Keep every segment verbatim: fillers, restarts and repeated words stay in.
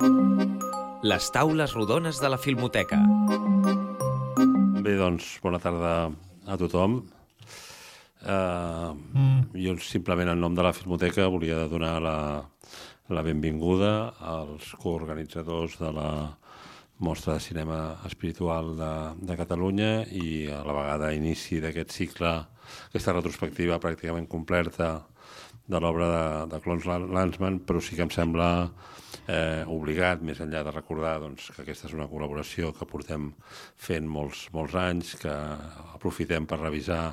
Les taules rodones de la Filmoteca. Bé, doncs, bona tarda a tothom. Uh, mm. Jo simplement en nom de la Filmoteca volia donar la, la benvinguda als coorganitzadors de la Mostra de Cinema Espiritual de, de Catalunya i a la vegada inici d'aquest cicle, aquesta retrospectiva pràcticament completa de l'obra de, de Claude Lanzmann, però sí que em sembla eh, obligat, més enllà de recordar doncs, que aquesta és una col·laboració que portem fent molts, molts anys, que aprofitem per revisar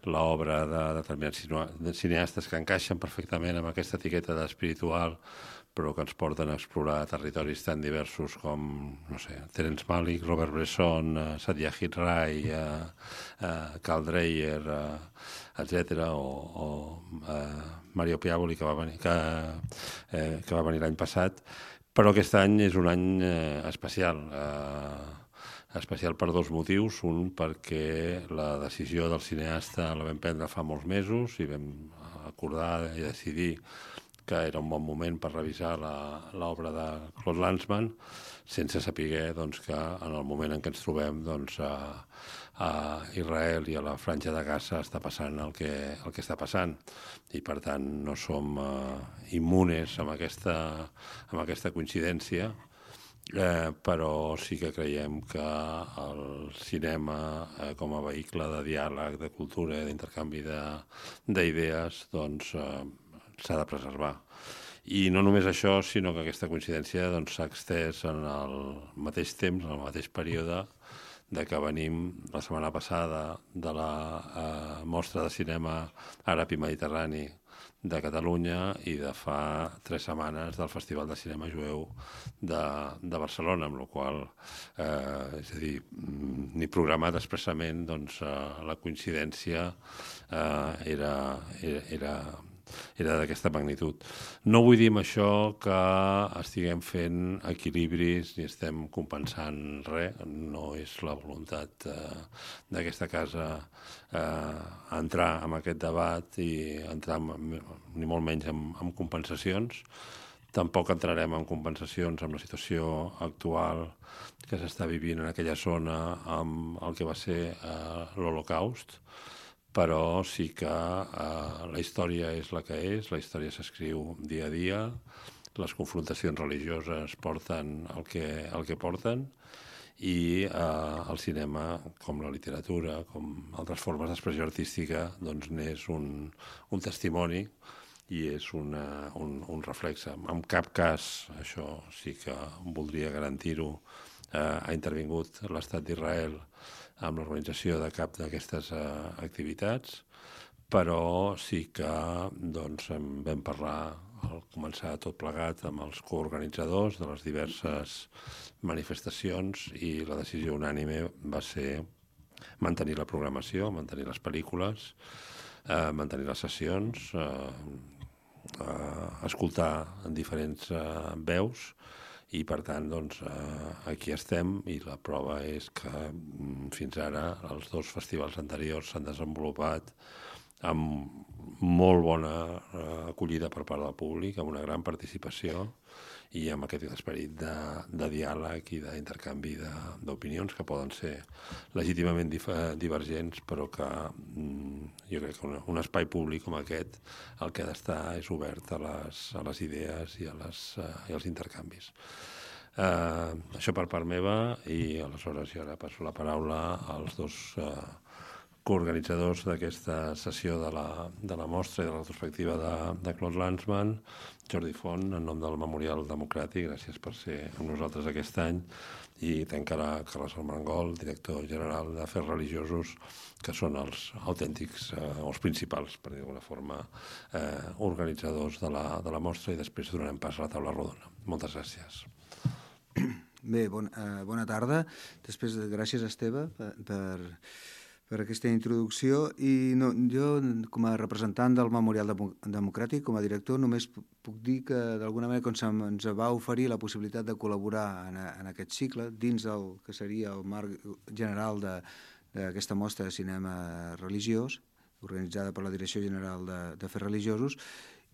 l'obra de determinats cineastes que encaixen perfectament amb aquesta etiqueta d'espiritual, però que ens porten a explorar territoris tan diversos com, no sé, Terence Malick, Robert Bresson, uh, Satyajit Ray, uh, uh, Carl Dreyer, uh, etcètera, o, o uh, Mario Piavoli, que va venir, que, eh, que va venir l'any passat. Però aquest any és un any eh, especial, eh, especial per dos motius. Un, perquè la decisió del cineasta la vam prendre fa molts mesos i vam acordar i decidir que era un bon moment per revisar l'obra de Claude Lanzmann, sense saber doncs, que en el moment en què ens trobem doncs, a, a Israel i a la Franja de Gaza està passant el que, el que està passant. I per tant no som uh, immunes amb aquesta, amb aquesta coincidència, eh, però sí que creiem que el cinema eh, com a vehicle de diàleg, de cultura, d'intercanvi d'idees, doncs eh, s'ha de preservar. I no només això, sinó que aquesta coincidència doncs, s'ha extès en el mateix temps, en el mateix període, de que venim la setmana passada de la eh, Mostra de Cinema Àrab i Mediterrani de Catalunya i de fa tres setmanes del Festival de Cinema Jueu de, de Barcelona, amb la qual eh, és a dir, ni programat expressament, doncs, eh, la coincidència eh, era... era, era era d'aquesta magnitud. No vull dir amb això que estiguem fent equilibris ni estem compensant res, no és la voluntat eh, d'aquesta casa eh, entrar en aquest debat i entrar en, ni molt menys en, en compensacions. Tampoc entrarem en compensacions amb la situació actual que s'està vivint en aquella zona amb el que va ser eh, l'Holocaust, però sí que eh, la història és la que és, la història s'escriu dia a dia, les confrontacions religioses porten el que, el que porten i eh, el cinema, com la literatura, com altres formes d'expressió artística, doncs n'és un, un testimoni i és una, un, un reflexe. En cap cas, això sí que voldria garantir-ho, eh, ha intervingut l'Estat d'Israel amb l'organització de cap d'aquestes uh, activitats, però sí que doncs, en vam parlar al començar tot plegat amb els coorganitzadors de les diverses manifestacions i la decisió unànime va ser mantenir la programació, mantenir les pel·lícules, uh, mantenir les sessions, uh, uh, escoltar en diferents uh, veus, i per tant doncs, eh, aquí estem i la prova és que mm, fins ara els dos festivals anteriors s'han desenvolupat amb molt bona eh, acollida per part del públic, amb una gran participació i amb aquest esperit de, de diàleg i d'intercanvi d'opinions que poden ser legítimament dif divergents, però que mm, jo crec que un, un espai públic com aquest el que ha d'estar és obert a les, a les idees i, a les, uh, i als intercanvis. Uh, això per part meva i aleshores jo ara passo la paraula als dos uh, coorganitzadors d'aquesta sessió de la, de la mostra i de la retrospectiva de, de Claude Lanzmann, Jordi Font, en nom del Memorial Democràtic, gràcies per ser amb nosaltres aquest any, i tancarà Carles Armengol, director general d'Afers Religiosos, que són els autèntics, eh, els principals, per dir d'alguna forma, eh, organitzadors de la, de la mostra, i després donarem pas a la taula rodona. Moltes gràcies. Bé, bon, eh, bona tarda. Després, gràcies, Esteve, per... per... per aquesta introducció, i no, jo, com a representant del Memorial Democràtic, com a director, només puc dir que, d'alguna manera, com ens va oferir la possibilitat de col·laborar en, en aquest cicle, dins del que seria el marc general d'aquesta mostra de cinema religiós, organitzada per la Direcció General d'Afers Religiosos,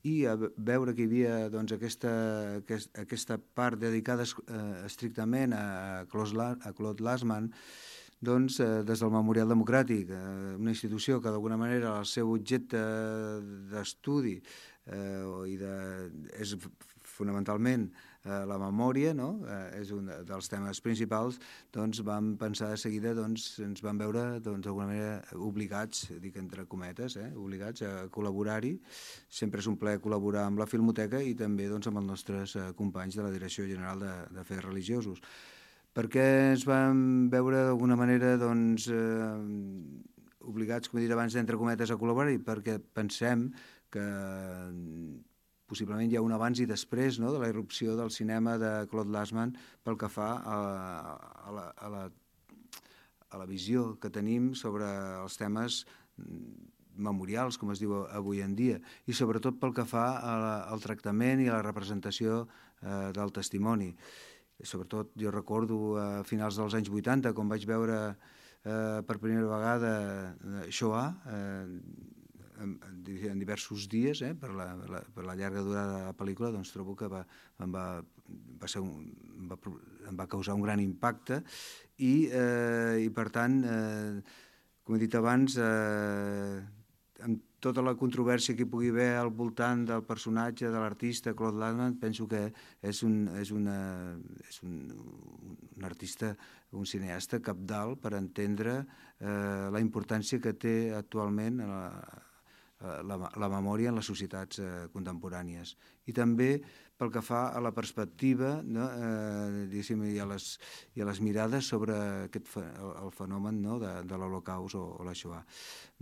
i a veure que hi havia doncs, aquesta, aquest, aquesta part dedicada eh, estrictament a Claude Lanzmann, doncs, eh, des del Memorial Democràtic, eh, una institució que d'alguna manera el seu objecte d'estudi eh, i de, és fonamentalment eh, la memòria, no? eh, és un dels temes principals, doncs vam pensar de seguida, doncs, ens vam veure doncs, d'alguna manera obligats, dic entre cometes, eh, obligats a col·laborar-hi. Sempre és un plaer col·laborar amb la Filmoteca i també doncs, amb els nostres eh, companys de la Direcció General de, de Fets Religiosos. Per què ens vam veure d'alguna manera doncs, eh, obligats, com he dit abans, entre cometes a col·laborar-hi? Perquè pensem que possiblement hi ha un abans i després, no?, de la irrupció del cinema de Claude Lanzmann pel que fa a, a, la, a, la, a la visió que tenim sobre els temes memorials, com es diu avui en dia, i sobretot pel que fa a la, al tractament i a la representació eh, del testimoni. I sobretot jo recordo a finals dels anys vuitanta, quan vaig veure eh, per primera vegada Shoah, eh, En, en diversos dies, eh, per, la, la, per la llarga durada de la pel·lícula, doncs trobo que va, em, va, va ser un, em, va, em va causar un gran impacte i, eh, i per tant, eh, com he dit abans, eh, amb tota la controvèrsia que hi pugui haver al voltant del personatge de l'artista Claude Lanzmann, penso que és un, és una, és un, un artista, un cineasta cabdal per entendre eh, la importància que té actualment a la La, la memòria en les societats eh, contemporànies. I també pel que fa a la perspectiva, no, eh, i, a les, i a les mirades sobre aquest, el, el fenomen, no, de, de l'Holocaust o, o la Shoah.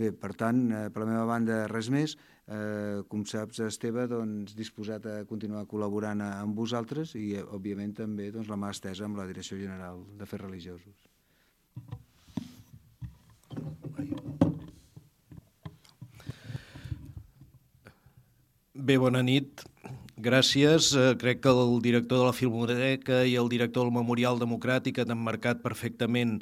Bé, per tant, eh, per la meva banda, res més. Eh, com saps, Esteve, doncs, disposat a continuar col·laborant amb vosaltres i, eh, òbviament, també doncs, la mà estesa amb la Direcció General de Fets Religiosos. Bé, bona nit. Gràcies. Eh, crec que el director de la Filmoteca i el director del Memorial Democràtic han emmarcat perfectament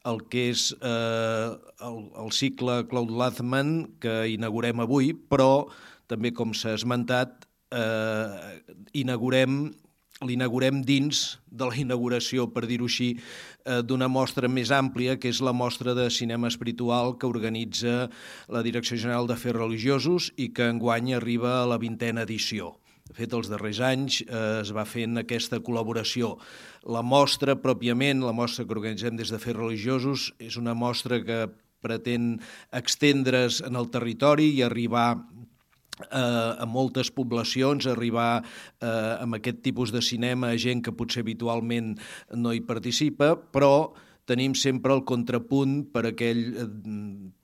el que és eh, el, el cicle Claude Lanzmann que inaugurem avui, però també, com s'ha esmentat, eh, inaugurem l'inaugurem dins de la inauguració, per dir-ho així, d'una mostra més àmplia, que és la mostra de cinema espiritual que organitza la Direcció General de Fets Religiosos i que enguany arriba a la vintena edició. De fet, els darrers anys eh, es va fent aquesta col·laboració. La mostra, pròpiament, la mostra que organitzem des de Fets Religiosos, és una mostra que pretén extendre's en el territori i arribar Eh, a moltes poblacions, arribar eh, amb aquest tipus de cinema a gent que potser habitualment no hi participa, però tenim sempre el contrapunt per aquell,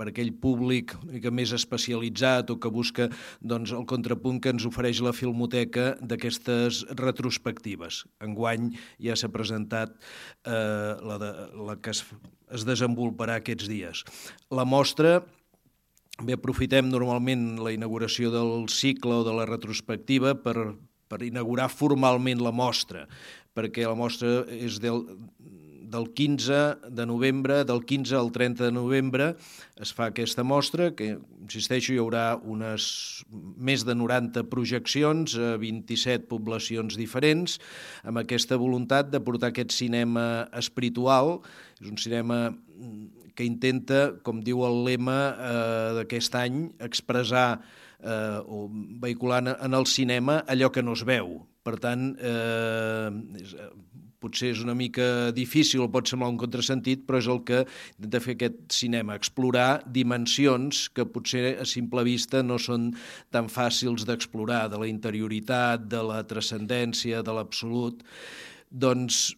per aquell públic una mica més especialitzat o que busca doncs, el contrapunt que ens ofereix la Filmoteca d'aquestes retrospectives. Enguany ja s'ha presentat eh, la, de, la que es, es desenvoluparà aquests dies. La mostra... Bé, aprofitem normalment la inauguració del cicle o de la retrospectiva per, per inaugurar formalment la mostra, perquè la mostra és del, del quinze de novembre, del quinze al trenta de novembre es fa aquesta mostra, que, insisteixo, hi haurà unes més de noranta projeccions a vint-i-set poblacions diferents, amb aquesta voluntat de portar aquest cinema espiritual. És un cinema que intenta, com diu el lema eh, d'aquest any, expressar eh, o vehicular en el cinema allò que no es veu. Per tant, eh, és, potser és una mica difícil, pot semblar un contrasentit, però és el que intenta fer aquest cinema, explorar dimensions que potser a simple vista no són tan fàcils d'explorar, de la interioritat, de la transcendència, de l'absolut. Doncs,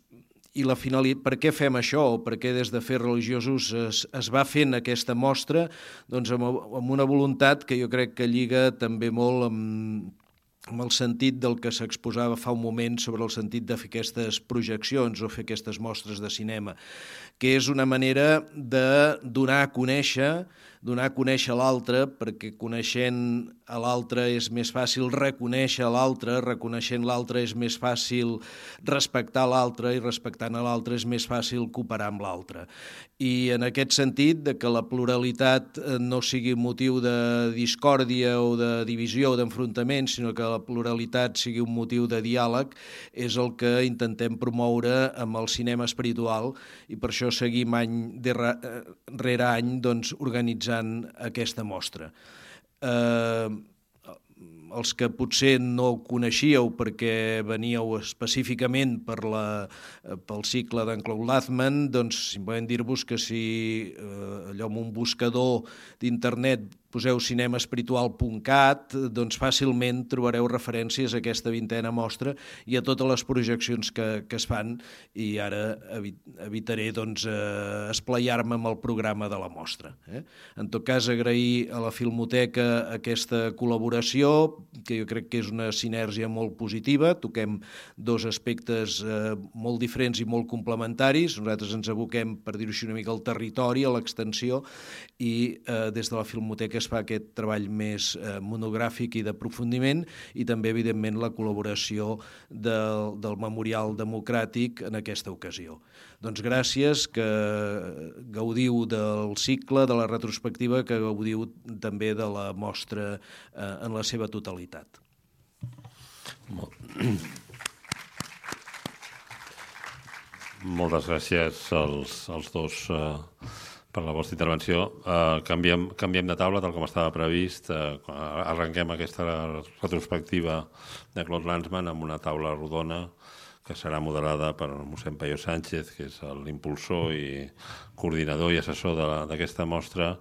i la finalitat, per què fem això, o per què des de Fets Religiosos es, es va fent aquesta mostra? Doncs amb, amb una voluntat que jo crec que lliga també molt amb, amb el sentit del que s'exposava fa un moment sobre el sentit de fer aquestes projeccions o fer aquestes mostres de cinema, que és una manera de donar a conèixer donar a conèixer l'altre, perquè coneixent a l'altre és més fàcil reconèixer l'altre, reconeixent l'altre és més fàcil respectar l'altre i respectant a l'altre és més fàcil cooperar amb l'altre. I en aquest sentit, de que la pluralitat no sigui motiu de discòrdia o de divisió o d'enfrontament, sinó que la pluralitat sigui un motiu de diàleg, és el que intentem promoure amb el cinema espiritual i per això seguim any rere any doncs, organitzant aquesta mostra. Eh, els que potser no coneixíeu perquè veníeu específicament per la, pel cicle d'en Claude Lanzmann, doncs simplement dir-vos que si eh, allò amb un buscador d'internet poseu cinemaespiritual punt cat, doncs fàcilment trobareu referències a aquesta vintena mostra i a totes les projeccions que, que es fan, i ara evitaré doncs, eh, esplaiar-me amb el programa de la mostra. Eh? En tot cas, agrair a la Filmoteca aquesta col·laboració, que jo crec que és una sinergia molt positiva, toquem dos aspectes eh, molt diferents i molt complementaris, nosaltres ens aboquem, per dir-ho així una mica, al territori, a l'extensió, i eh, des de la Filmoteca es fa aquest treball més eh, monogràfic i d'aprofundiment, i també, evidentment, la col·laboració del, del Memorial Democràtic en aquesta ocasió. Doncs gràcies, que gaudiu del cicle, de la retrospectiva, que gaudiu també de la mostra eh, en la seva totalitat. Moltes gràcies als, als dos eh, per la vostra intervenció. Uh, canviem, canviem de taula, tal com estava previst. Uh, arrenquem aquesta retrospectiva de Claude Lanzmann amb una taula rodona que serà moderada per mossèn Peyo Sánchez, que és l'impulsor i coordinador i assessor d'aquesta mostra,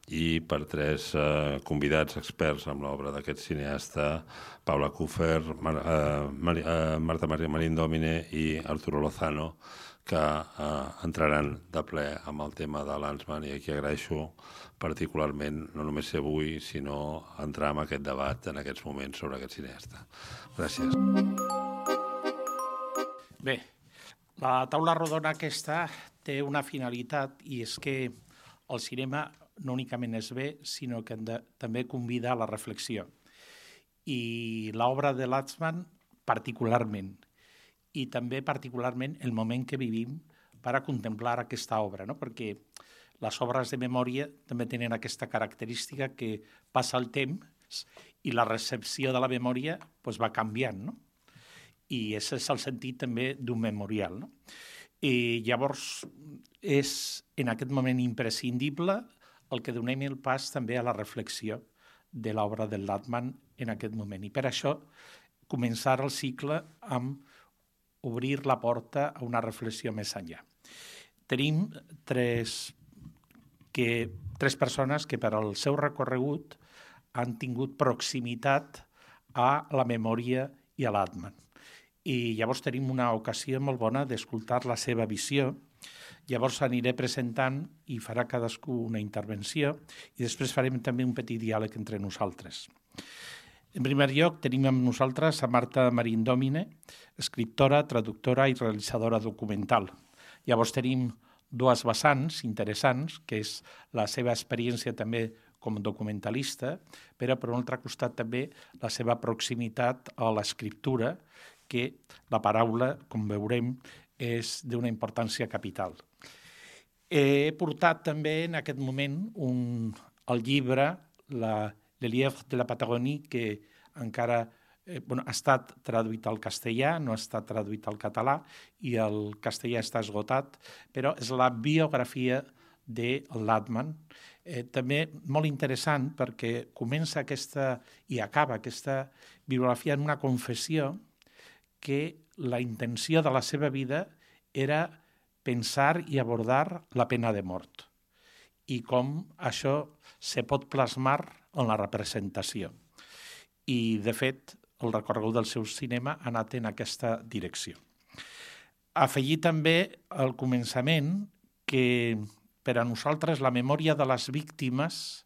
i per tres uh, convidats experts amb l'obra d'aquest cineasta, Paula Kuffer, Mar, uh, Mar, uh, Marta Maria Marín Domine i Arturo Lozano, que eh, entraran de ple amb el tema de Lanzmann, i aquí agraeixo particularment no només ser avui, sinó entrar en aquest debat en aquests moments sobre aquest cineasta. Gràcies. Bé, la taula rodona aquesta té una finalitat, i és que el cinema no únicament es ve, sinó que de, també convida a la reflexió. I l'obra de Lanzmann particularment, i també particularment el moment que vivim per a contemplar aquesta obra, no? Perquè les obres de memòria també tenen aquesta característica que passa el temps i la recepció de la memòria pues, va canviant, no? I aquest és el sentit també d'un memorial, no? I llavors és en aquest moment imprescindible el que donem el pas també a la reflexió de l'obra del Lanzmann en aquest moment. I per això començar el cicle amb obrir la porta a una reflexió més enllà. Tenim tres, que, tres persones que per al seu recorregut han tingut proximitat a la memòria i a Lanzmann. I llavors tenim una ocasió molt bona d'escoltar la seva visió. Llavors aniré presentant i farà cadascú una intervenció i després farem també un petit diàleg entre nosaltres. En primer lloc, tenim amb nosaltres a Marta Marín Domine, escriptora, traductora i realitzadora documental. Llavors tenim dues vessants interessants, que és la seva experiència també com a documentalista, però per un altre costat també la seva proximitat a l'escriptura, que la paraula, com veurem, és d'una importància capital. He portat també en aquest moment un, el llibre, la Le Lièvre de la Patagonie, que encara eh, bueno, ha estat traduït al castellà, no ha estat traduït al català, i el castellà està esgotat, però és la biografia de Lanzmann. Eh, també molt interessant perquè comença aquesta i acaba aquesta biografia en una confessió que la intenció de la seva vida era pensar i abordar la pena de mort i com això se pot plasmar en la representació. I, de fet, el recorregut del seu cinema ha anat en aquesta direcció. Afegir també al començament que per a nosaltres la memòria de les víctimes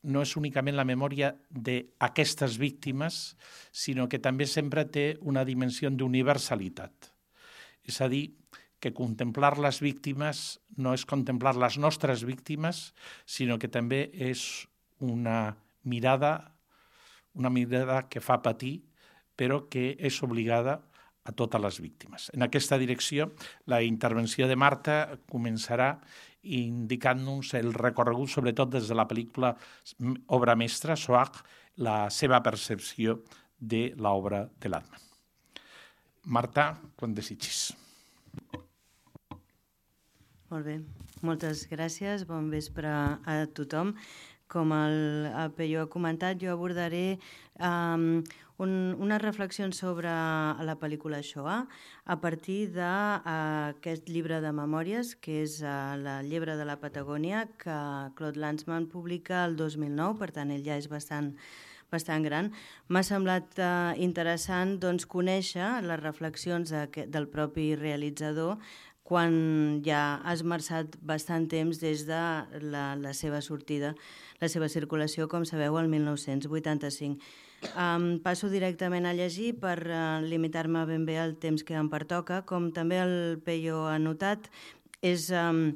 no és únicament la memòria d'aquestes víctimes, sinó que també sempre té una dimensió d'universalitat. És a dir, que contemplar les víctimes no és contemplar les nostres víctimes, sinó que també és una mirada, una mirada que fa patir, però que és obligada a totes les víctimes. En aquesta direcció, la intervenció de Marta començarà indicant-nos el recorregut, sobretot des de la pel·lícula obra mestra, Shoah, la seva percepció de l'obra de Landman. Marta, quan desitgis. Molt bé, moltes gràcies, bon vespre a tothom. Com el, el Peyo ha comentat, jo abordaré um, un, unes reflexions sobre la pel·lícula Shoah a partir d'aquest uh, llibre de memòries, que és uh, La llebre de la Patagònia, que Claude Lanzmann publica el dos mil nou, per tant, ell ja és bastant bastant gran. M'ha semblat uh, interessant doncs, conèixer les reflexions de, del propi realitzador quan ja ha esmerçat bastant temps des de la, la seva sortida, la seva circulació, com sabeu, el mil nou-cents vuitanta-cinc. Um, passo directament a llegir per uh, limitar-me ben bé al temps que em pertoca. Com també el Peyo ha notat, és... Um,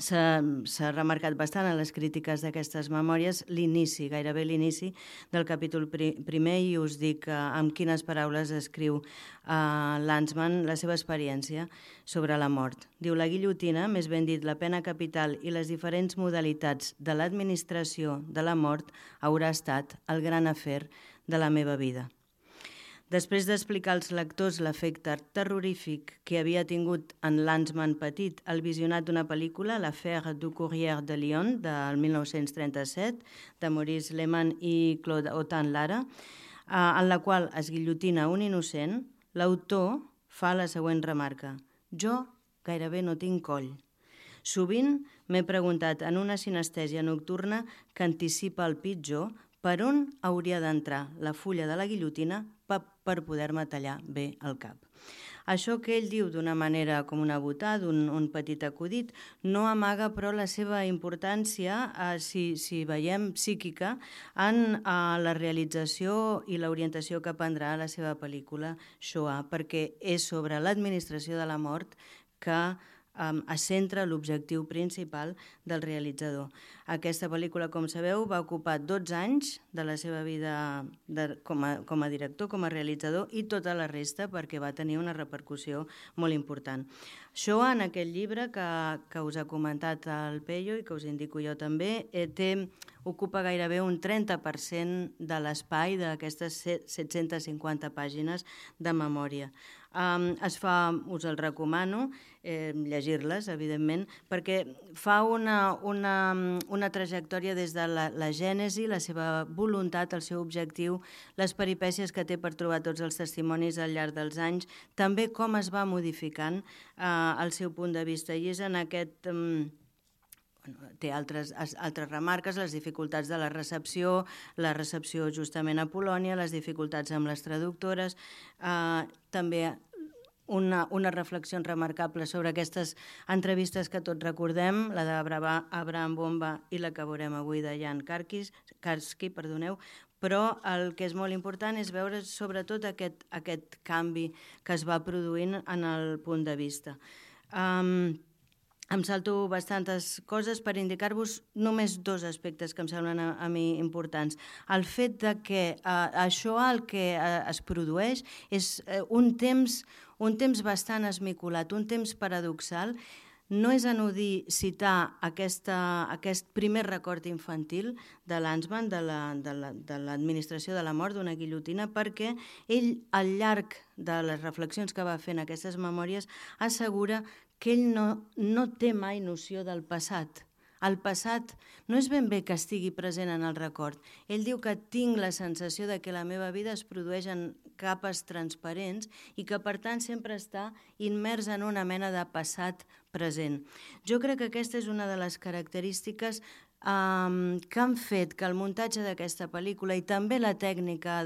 S'ha remarcat bastant a les crítiques d'aquestes memòries l'inici, gairebé l'inici del capítol primer, i us dic amb quines paraules escriu uh, Lanzmann la seva experiència sobre la mort. Diu: la guillotina, més ben dit la pena capital i les diferents modalitats de l'administració de la mort haurà estat el gran afer de la meva vida. Després d'explicar als lectors l'efecte terrorífic que havia tingut en Lanzmann petit el visionat d'una pel·lícula, L'affaire du Courrier de Lyon, del mil nou-cents trenta-set, de Maurice Lehmann i Claude Autant-Lara, en la qual es guillotina un innocent, l'autor fa la següent remarca: jo gairebé no tinc coll. Sovint m'he preguntat en una sinestèsia nocturna que anticipa el pitjor per on hauria d'entrar la fulla de la guillotina per poder-me tallar bé el cap. Això que ell diu d'una manera com una botada, un, un petit acudit, no amaga però la seva importància, eh, si, si veiem psíquica, en eh, la realització i l'orientació que prendrà la seva pel·lícula Shoah, perquè és sobre l'administració de la mort que Um, es centra l'objectiu principal del realitzador. Aquesta pel·lícula, com sabeu, va ocupar dotze anys de la seva vida de, com, a, com a director, com a realitzador, i tota la resta perquè va tenir una repercussió molt important. Shoah, en aquest llibre que, que us ha comentat el Peyo i que us indico jo també, eh, té, ocupa gairebé un trenta per cent de l'espai d'aquestes set-centes cinquanta pàgines de memòria. Um, es fa, us el recomano, eh, llegir-les, evidentment, perquè fa una, una, una trajectòria des de la, la gènesi, la seva voluntat, el seu objectiu, les peripècies que té per trobar tots els testimonis al llarg dels anys, també com es va modificant eh, el seu punt de vista. I és en aquest... Um, Bueno, té altres, altres remarques, les dificultats de la recepció, la recepció justament a Polònia, les dificultats amb les traductores, eh, també una, una reflexió remarcable sobre aquestes entrevistes que tots recordem, la d'Abraham Bomba i la que veurem avui de Jan Karski, perdoneu, però el que és molt important és veure sobretot aquest, aquest canvi que es va produint en el punt de vista. Um, Em salto bastantes coses per indicar-vos només dos aspectes que em semblen a, a mi importants. El fet de que eh, això el que eh, es produeix és eh, un temps, un temps bastant esmicolat, un temps paradoxal. No és anodí citar aquesta, aquest primer record infantil de Lanzmann, de l'administració la, de, de, de la mort d'una guillotina, perquè ell, al llarg de les reflexions que va fer en aquestes memòries, assegura que ell no, no té mai noció del passat. El passat no és ben bé que estigui present en el record. Ell diu que tinc la sensació de que la meva vida es produeix en capes transparents i que, per tant, sempre està immers en una mena de passat present. Jo crec que aquesta és una de les característiques um, que han fet que el muntatge d'aquesta pel·lícula i també la tècnica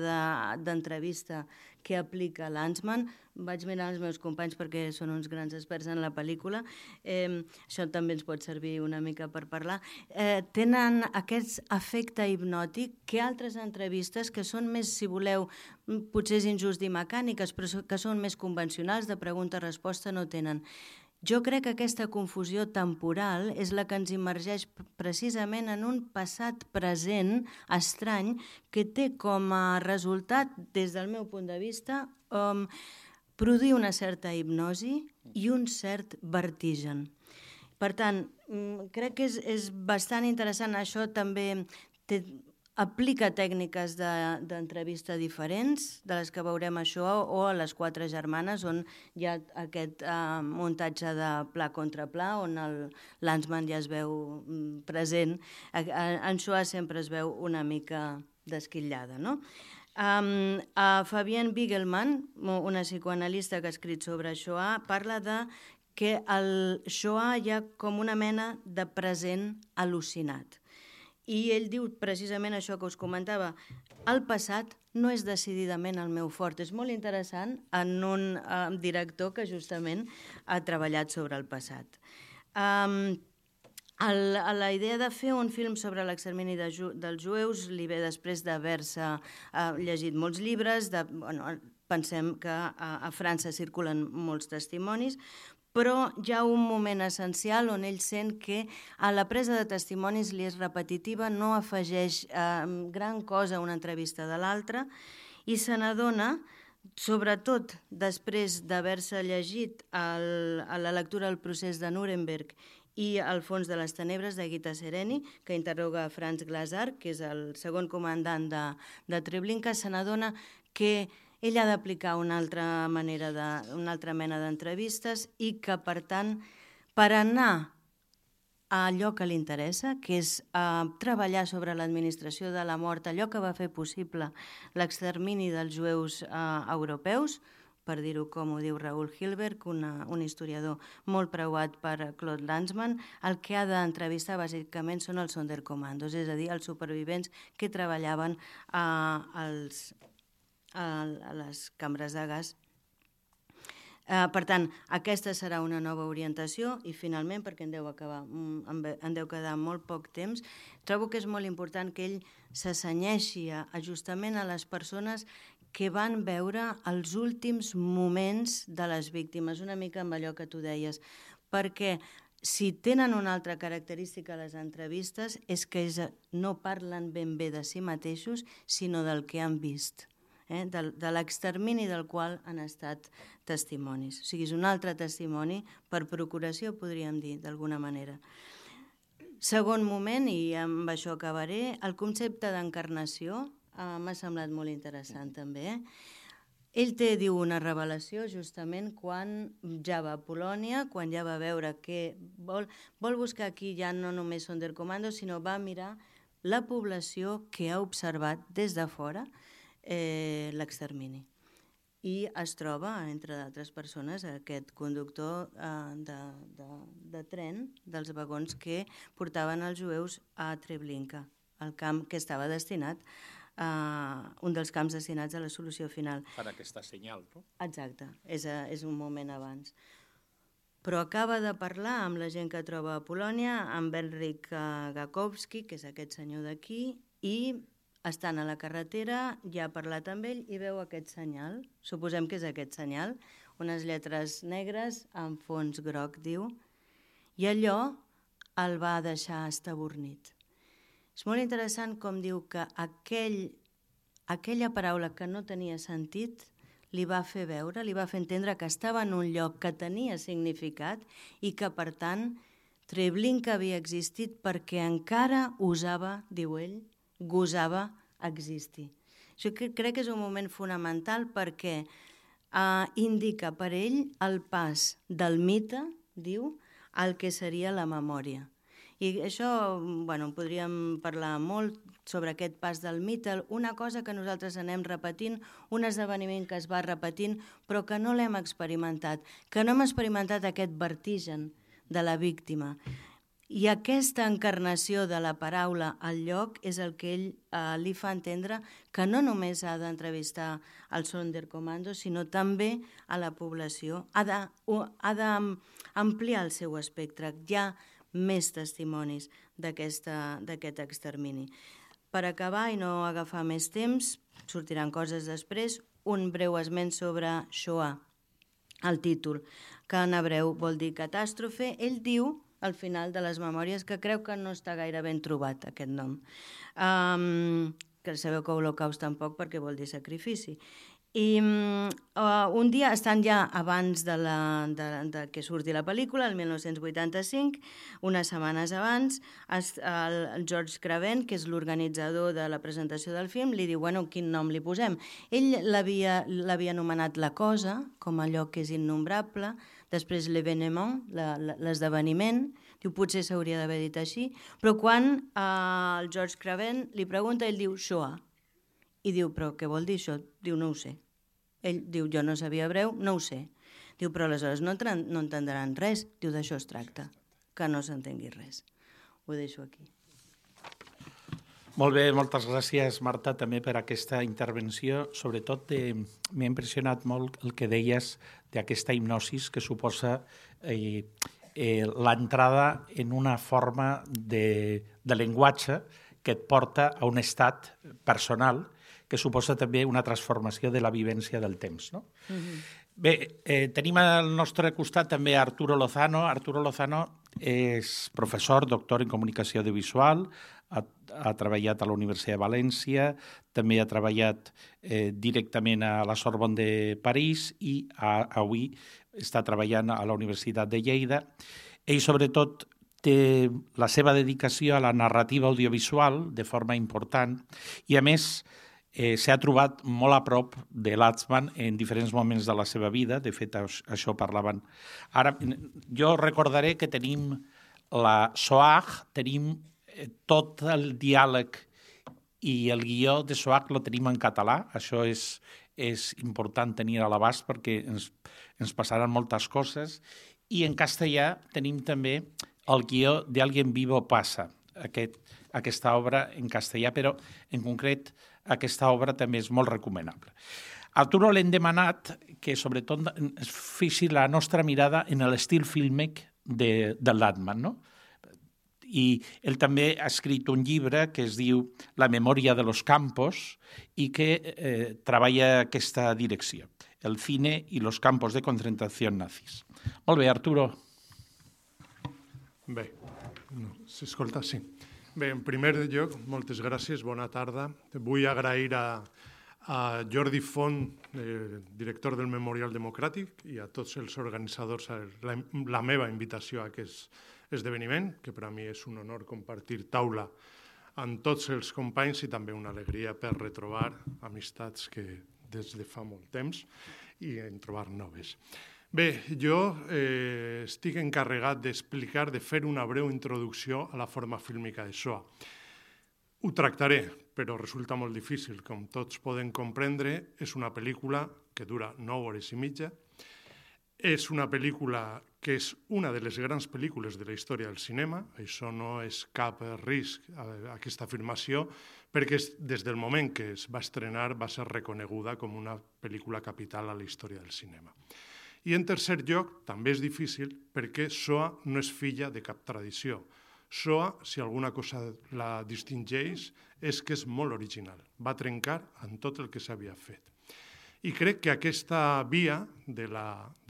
d'entrevista que aplica Lanzmann, vaig mirar els meus companys perquè són uns grans experts en la pel·lícula, eh, això també ens pot servir una mica per parlar, eh, tenen aquest efecte hipnòtic que altres entrevistes que són més, si voleu, potser és injust dir mecàniques, però que són més convencionals, de pregunta-resposta, no tenen. Jo crec que aquesta confusió temporal és la que ens immergeix precisament en un passat present estrany que té com a resultat, des del meu punt de vista, um, produir una certa hipnosi i un cert vertigen. Per tant, crec que és, és bastant interessant. Això també té, aplica tècniques d'entrevista diferents, de les que veurem això, o a Les quatre germanes, on hi ha aquest uh, muntatge de pla contra pla, on el Lanzmann ja es veu present. En Shoah sempre es veu una mica desquitllada, no? Um, uh, Fabienne Biegelman, una psicoanalista que ha escrit sobre Shoah, parla de que al Shoah hi ha com una mena de present al·lucinat. I ell diu precisament això que us comentava, el passat no és decididament el meu fort. És molt interessant en un uh, director que justament ha treballat sobre el passat. Um, el, la idea de fer un film sobre l'extermini de ju dels jueus li ve després d'haver-se uh, llegit molts llibres, de, bueno, pensem que a, a França circulen molts testimonis, però hi ha un moment essencial on ell sent que a la presa de testimonis li és repetitiva, no afegeix eh, gran cosa a una entrevista de l'altra i se n'adona, sobretot després d'haver-se llegit el, a la lectura del procés de Nuremberg i El fons de les tenebres de Gita Sereny, que interroga Franz Glazar, que és el segon comandant de, de Treblinka, se n'adona que ell ha d'aplicar una altra manera de, una altra mena d'entrevistes i que, per tant, per anar a allò que li interessa, que és uh, treballar sobre l'administració de la mort, allò que va fer possible l'extermini dels jueus uh, europeus, per dir-ho com ho diu Raoul Hilberg, una, un historiador molt preuat per Claude Lanzmann, el que ha d'entrevistar bàsicament són els Sonderkommandos, és a dir, els supervivents que treballaven uh, als a les cambres de gas. Uh, per tant, aquesta serà una nova orientació i finalment, perquè en deu, acabar, en deu quedar molt poc temps, trobo que és molt important que ell s'assenyeixi justament a les persones que van veure els últims moments de les víctimes, una mica amb allò que tu deies, perquè si tenen una altra característica a les entrevistes és que no parlen ben bé de si mateixos, sinó del que han vist. Eh, de, de l'extermini del qual han estat testimonis. O sigui, és un altre testimoni per procuració, podríem dir, d'alguna manera. Segon moment, i amb això acabaré, el concepte d'encarnació eh, m'ha semblat molt interessant també. Eh? Ell té, diu, una revelació justament quan ja va a Polònia, quan ja va veure que vol, vol buscar aquí ja no només Sonderkommandos, sinó va mirar la població que ha observat des de fora Eh, l'extermini. I es troba, entre d'altres persones, aquest conductor eh, de, de, de tren dels vagons que portaven els jueus a Treblinka, el camp que estava destinat, eh, un dels camps destinats a la solució final. Per aquesta senyal, no? Exacte, és, a, és un moment abans. Però acaba de parlar amb la gent que troba a Polònia, amb Henryk Gakowski, que és aquest senyor d'aquí, i estan a la carretera, ja ha parlat amb ell i veu aquest senyal. Suposem que és aquest senyal, unes lletres negres amb fons groc, diu, i allò el va deixar estabornit. És molt interessant com diu que aquell, aquella paraula que no tenia sentit li va fer veure, li va fer entendre que estava en un lloc que tenia significat i que, per tant, Treblinka havia existit perquè encara usava, diu ell, gosava existir. Això crec que és un moment fonamental perquè eh, indica per ell el pas del mite, diu, al que seria la memòria. I això, bueno, podríem parlar molt sobre aquest pas del mite, una cosa que nosaltres anem repetint, un esdeveniment que es va repetint, però que no l'hem experimentat, que no hem experimentat aquest vertigen de la víctima. I aquesta encarnació de la paraula al lloc és el que ell eh, li fa entendre que no només ha d'entrevistar al Sonderkommando, sinó també a la població. Ha d'ampliar el seu espectre. Hi ha més testimonis d'aquest extermini. Per acabar i no agafar més temps, sortiran coses després, un breu esment sobre Shoah, el títol, que en hebreu vol dir catàstrofe. Ell diu, al final de les memòries, que creu que no està gaire ben trobat aquest nom. Um, que sabeu que Holocaust tampoc, perquè vol dir sacrifici. I uh, un dia, estan ja abans de, la, de, de que surti la pel·lícula, el mil nou-cents vuitanta-cinc, unes setmanes abans, es, el George Craven, que és l'organitzador de la presentació del film, li diu, bueno, quin nom li posem? Ell l'havia anomenat La Cosa, com allò que és innombrable, després l'événement, l'esdeveniment, diu, potser s'hauria d'haver dit així, però quan uh, el George Craven li pregunta, ell diu Shoah, i diu, però què vol dir això? Diu, no ho sé. Ell diu, jo no sabia hebreu, no ho sé. Diu, però aleshores no, no entendran res. Diu, d'això es tracta, que no s'entengui res. Ho deixo aquí. Molt bé, moltes gràcies, Marta, també per aquesta intervenció. Sobretot eh, m'ha impressionat molt el que deies d'aquesta hipnosis que suposa eh, eh, l'entrada en una forma de, de llenguatge que et porta a un estat personal que suposa també una transformació de la vivència del temps. No? Mm-hmm. Bé, eh, tenim al nostre costat també Arturo Lozano. Arturo Lozano és professor, doctor en comunicació audiovisual, ha, ha treballat a la Universitat de València, també ha treballat eh, directament a la Sorbonne de París i a, avui està treballant a la Universitat de Lleida. Ell, sobretot, té la seva dedicació a la narrativa audiovisual de forma important i, a més, Eh, s'ha trobat molt a prop de Latzmann en diferents moments de la seva vida. De fet, això parlaven. Ara, jo recordaré que tenim la Soag, tenim eh, tot el diàleg i el guió de Soag lo tenim en català. Això és, és important tenir a l'abast perquè ens, ens passaran moltes coses. I en castellà tenim també el guió de Alguien Vivo Pasa, aquest, aquesta obra en castellà, però en concret aquesta obra també és molt recomanable. A Arturo l'hem demanat que sobretot es fixi la nostra mirada en l'estil fílmic de, de Latzmann, no? I ell també ha escrit un llibre que es diu La memòria de los campos i que eh, treballa aquesta direcció, el cine i los campos de concentració nazis. Molt bé, Arturo. Bé, no, s'escolta, sí. Bé, en primer lloc, moltes gràcies, bona tarda. Vull agrair a, a Jordi Font, eh, director del Memorial Democràtic, i a tots els organitzadors la, la meva invitació a aquest esdeveniment, que per a mi és un honor compartir taula amb tots els companys i també una alegria per retrobar amistats que des de fa molt temps i en trobar noves. Bé, jo eh, estic encarregat d'explicar, de fer una breu introducció a la forma fílmica de Shoah. Ho tractaré, però resulta molt difícil. Com tots poden comprendre, és una pel·lícula que dura nou hores i mitja. És una pel·lícula que és una de les grans pel·lícules de la història del cinema. Això no és cap risc, aquesta afirmació, perquè des del moment que es va estrenar va ser reconeguda com una pel·lícula capital a la història del cinema. I en tercer lloc, també és difícil perquè Shoah no és filla de cap tradició. Shoah, si alguna cosa la distingeix, és que és molt original. Va trencar amb tot el que s'havia fet. I crec que aquesta via de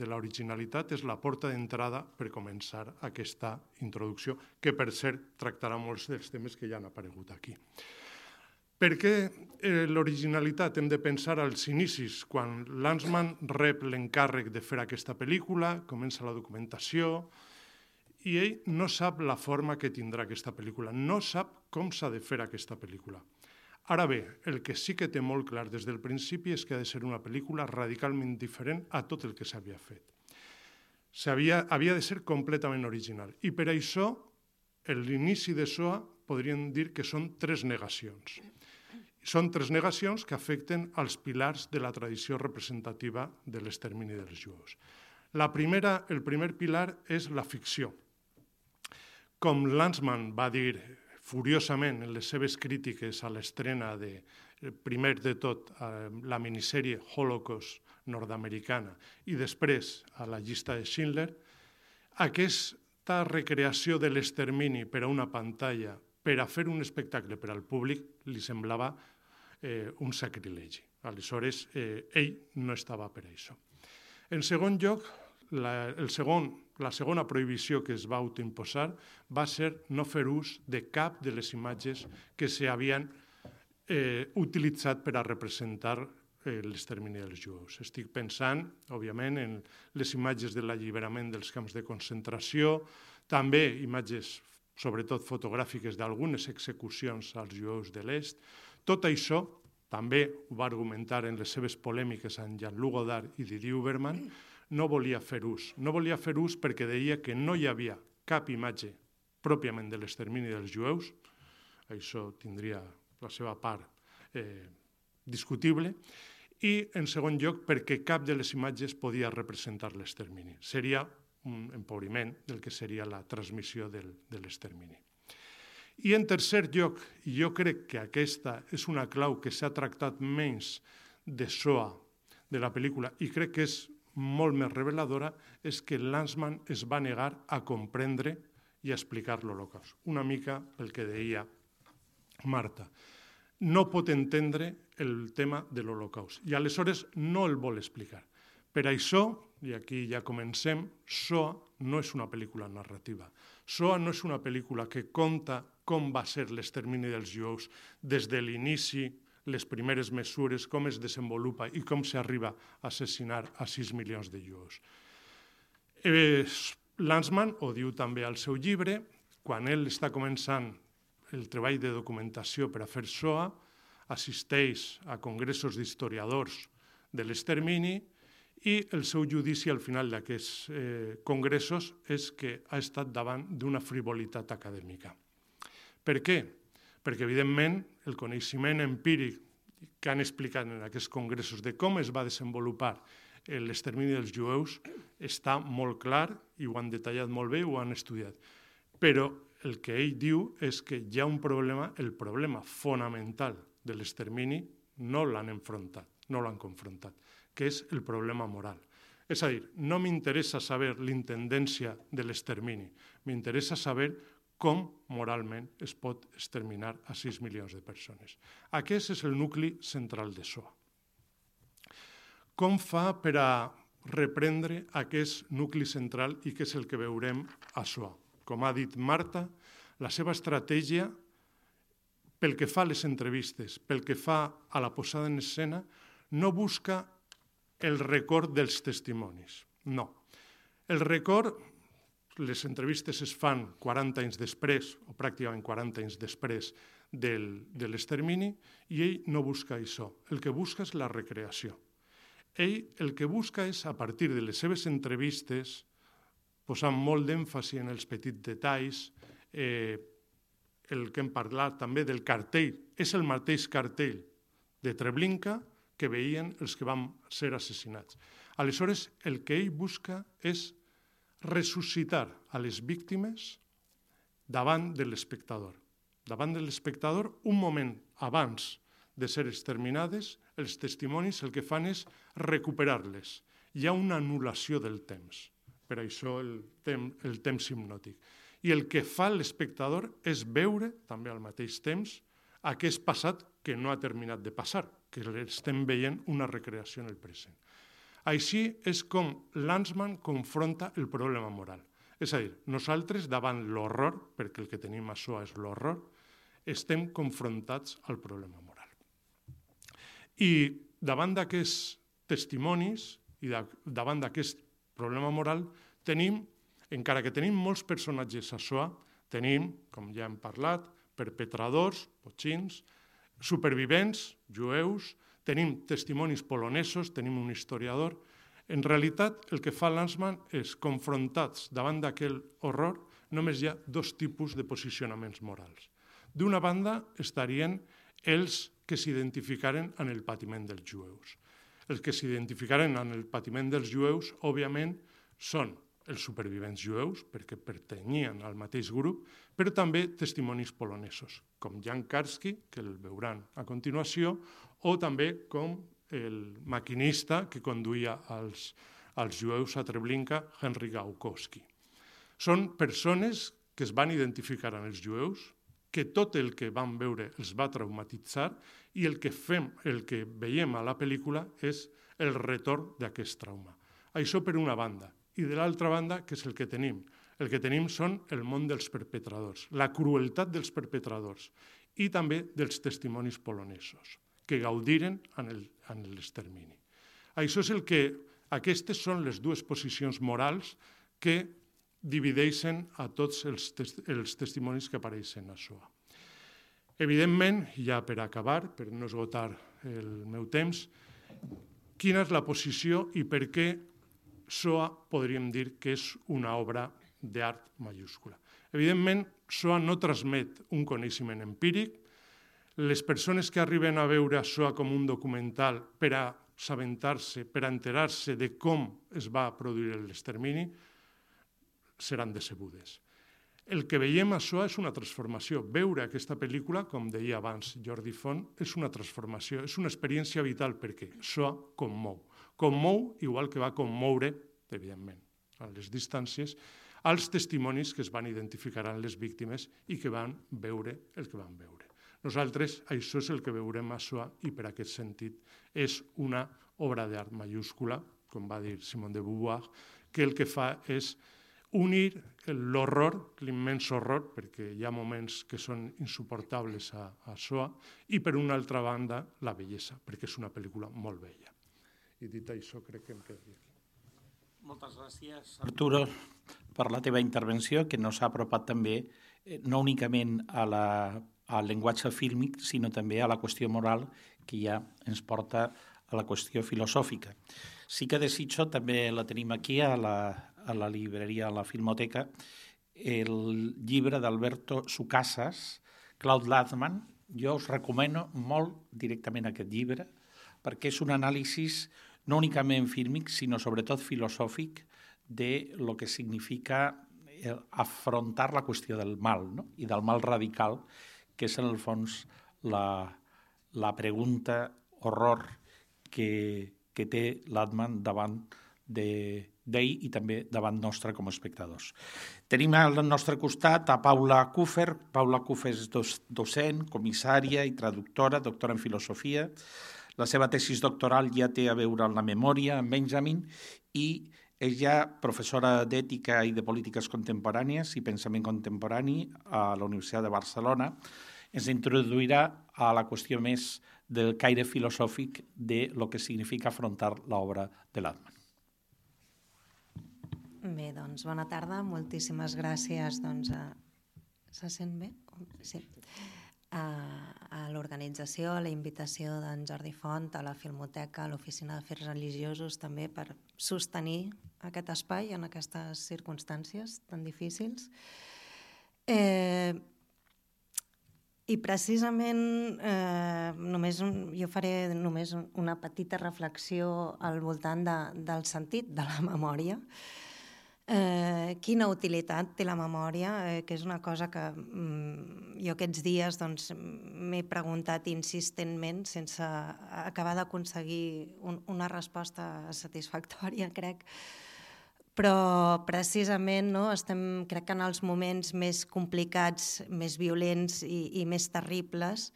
l'originalitat és la porta d'entrada per començar aquesta introducció, que per cert tractarà molts dels temes que ja han aparegut aquí. Per què eh, l'originalitat? Hem de pensar als inicis, quan Latzmann rep l'encàrrec de fer aquesta pel·lícula, comença la documentació, i ell no sap la forma que tindrà aquesta pel·lícula, no sap com s'ha de fer aquesta pel·lícula. Ara bé, el que sí que té molt clar des del principi és que ha de ser una pel·lícula radicalment diferent a tot el que s'havia fet. Havia, havia de ser completament original. I per això, l'inici de Shoah podríem dir que són tres negacions. Són tres negacions que afecten als pilars de la tradició representativa de l'extermini dels jueus. La primera, el primer pilar és la ficció. com Lanzmann va dir furiosament en les seves crítiques a l'estrena de, primer de tot, la minissèrie Holocaust nord-americana i després a la llista de Schindler, aquesta recreació de l'extermini per a una pantalla, per a fer un espectacle per al públic, li semblava eh, un sacrilegi. Aleshores, eh, ell no estava per a això. En segon lloc, la, el segon, la segona prohibició que es va autoimposar va ser no fer ús de cap de les imatges que s'havien eh, utilitzat per a representar eh, l'extermini dels jueus. Estic pensant, òbviament, en les imatges de l'alliberament dels camps de concentració, també imatges, sobretot fotogràfiques, d'algunes execucions als jueus de l'Est. Tot això també ho va argumentar en les seves polèmiques amb Jean-Luc Godard i Didier Huberman, no volia fer ús. No volia fer ús perquè deia que no hi havia cap imatge pròpiament de l'extermini dels jueus, això tindria la seva part eh, discutible, i en segon lloc perquè cap de les imatges podia representar l'extermini. Seria un empobriment del que seria la transmissió del, de l'extermini. I en tercer lloc, i jo crec que aquesta és una clau que s'ha tractat menys de Shoah de la pel·lícula i crec que és molt més reveladora, és que Lanzmann es va negar a comprendre i a explicar l'Holocaust. Una mica el que deia Marta. No pot entendre el tema de l'Holocaust i aleshores no el vol explicar. Per això, i aquí ja comencem, Shoah no és una pel·lícula narrativa. Shoah no és una pel·lícula que conta com va ser l'extermini dels jueus des de l'inici, les primeres mesures, com es desenvolupa i com s'arriba a assassinar a sis milions de jueus. Eh, Lanzmann ho diu també al seu llibre, quan ell està començant el treball de documentació per a fer Shoah, assisteix a congressos d'historiadors de l'extermini i el seu judici al final d'aquests eh, congressos és que ha estat davant d'una frivolitat acadèmica. Per què? Perquè, evidentment, el coneixement empíric que han explicat en aquests congressos de com es va desenvolupar l'extermini dels jueus està molt clar i ho han detallat molt bé i ho han estudiat. Però el que ell diu és que hi ha un problema, el problema fonamental de l'extermini no l'han enfrontat, no l'han confrontat, que és el problema moral. És a dir, no m'interessa saber l'intendència de l'extermini, m'interessa saber com moralment es pot exterminar a sis milions de persones. Aquest és el nucli central de Shoah. Com fa per a reprendre aquest nucli central i què és el que veurem a Shoah? Com ha dit Marta, la seva estratègia, pel que fa a les entrevistes, pel que fa a la posada en escena, no busca el record dels testimonis. No. El record, les entrevistes es fan quaranta anys després, o pràcticament quaranta anys després del, de l'extermini, i ell no busca això. El que busca és la recreació. Ell el que busca és, a partir de les seves entrevistes, posant molt d'èmfasi en els petits detalls, eh, el que hem parlat també del cartell, és el mateix cartell de Treblinka que veien els que van ser assassinats. Aleshores, el que ell busca és ressuscitar a les víctimes davant de l'espectador. Davant de l'espectador, un moment abans de ser exterminades, els testimonis el que fan és recuperar-les. Hi ha una anul·lació del temps, per això el, tem, el temps hipnòtic. I el que fa l'espectador és veure, també al mateix temps, aquest passat que no ha terminat de passar, que estem veient una recreació en el present. Així és com Lanzmann confronta el problema moral. És a dir, nosaltres davant l'horror, perquè el que tenim a Shoah és l'horror, estem confrontats al problema moral. I davant d'aquests testimonis i davant d'aquest problema moral tenim, encara que tenim molts personatges a Shoah, tenim, com ja hem parlat, perpetradors, potxins, supervivents, jueus, tenim testimonis polonesos, tenim un historiador. En realitat, el que fa Lanzmann és, confrontats davant d'aquell horror, només hi ha dos tipus de posicionaments morals. D'una banda, estarien els que s'identificaren en el patiment dels jueus. Els que s'identificaren en el patiment dels jueus, òbviament, són els supervivents jueus, perquè pertanyien al mateix grup, però també testimonis polonesos, com Jan Karski, que el veuran a continuació, o també com el maquinista que conduïa els, els jueus a Treblinka, Henry Gaukowski. Són persones que es van identificar amb els jueus, que tot el que van veure els va traumatitzar i el que, fem, el que veiem a la pel·lícula és el retorn d'aquest trauma. Això per una banda. I de l'altra banda, què és el que tenim? El que tenim són el món dels perpetradors, la crueltat dels perpetradors i també dels testimonis polonesos, que gaudiren en l'extermini. Això és el que, aquestes són les dues posicions morals que divideixen a tots els, tes els testimonis que apareixen a Shoah. Evidentment, ja per acabar, per no esgotar el meu temps, quina és la posició i per què Shoah podríem dir que és una obra d'art mayúscula. Evidentment, Shoah no transmet un coneixement empíric. Les persones que arriben a veure Shoah com un documental per a assabentar-se, per a enterar-se de com es va produir l'extermini, seran decebudes. El que veiem a Shoah és una transformació. Veure aquesta pel·lícula, com deia abans Jordi Font, és una transformació, és una experiència vital perquè Shoah commou. Commou, igual que va commoure, evidentment, a les distàncies, als testimonis que es van identificar amb les víctimes i que van veure el que van veure. Nosaltres, això és el que veurem a Shoah i per aquest sentit és una obra d'art mayúscula, com va dir Simone de Beauvoir, que el que fa és unir l'horror, l'immens horror, perquè hi ha moments que són insuportables a, a Shoah, i per una altra banda la bellesa, perquè és una pel·lícula molt bella. I dit això, crec que em quedaria aquí. Moltes gràcies, Arturo, per la teva intervenció, que nos ha apropat també no únicament a la, al llenguatge fílmic, sinó també a la qüestió moral que ja ens porta a la qüestió filosòfica. Sí que desitjo, també la tenim aquí a la, a la llibreria, a la Filmoteca, el llibre d'Alberto Sucasas, Claude Lanzmann. Jo us recomano molt directament aquest llibre, perquè és un anàlisi no únicament fílmic, sinó sobretot filosòfic de lo que significa afrontar la qüestió del mal, no? I del mal radical, que és en el fons la, la pregunta horror que, que té Lanzmann davant d'ell i també davant nostre com a espectadors. Tenim al nostre costat a Paula Kuffer. Paula Kuffer és docent, comissària i traductora, doctora en filosofia. La seva tesis doctoral ja té a veure amb la memòria, amb Benjamin, i és ja professora d'ètica i de polítiques contemporànies i pensament contemporani a la Universitat de Barcelona. Ens introduirà a la qüestió més del caire filosòfic de lo que significa afrontar l'obra de Lanzmann. Bé, doncs, bona tarda. Moltíssimes gràcies. Doncs, a... Se sent bé? Sí. A, a l'organització, a la invitació d'en Jordi Font, a la Filmoteca, a l'Oficina d'Afers Religiosos, també per sostenir aquest espai en aquestes circumstàncies tan difícils. Eh, I precisament eh, només un, jo faré només una petita reflexió al voltant de, del sentit de la memòria. Eh, quina utilitat té la memòria, eh, que és una cosa que mm, jo aquests dies doncs, m'he preguntat insistentment sense acabar d'aconseguir un, una resposta satisfactòria, crec. Però precisament no, estem, crec que en els moments més complicats, més violents i, i més terribles,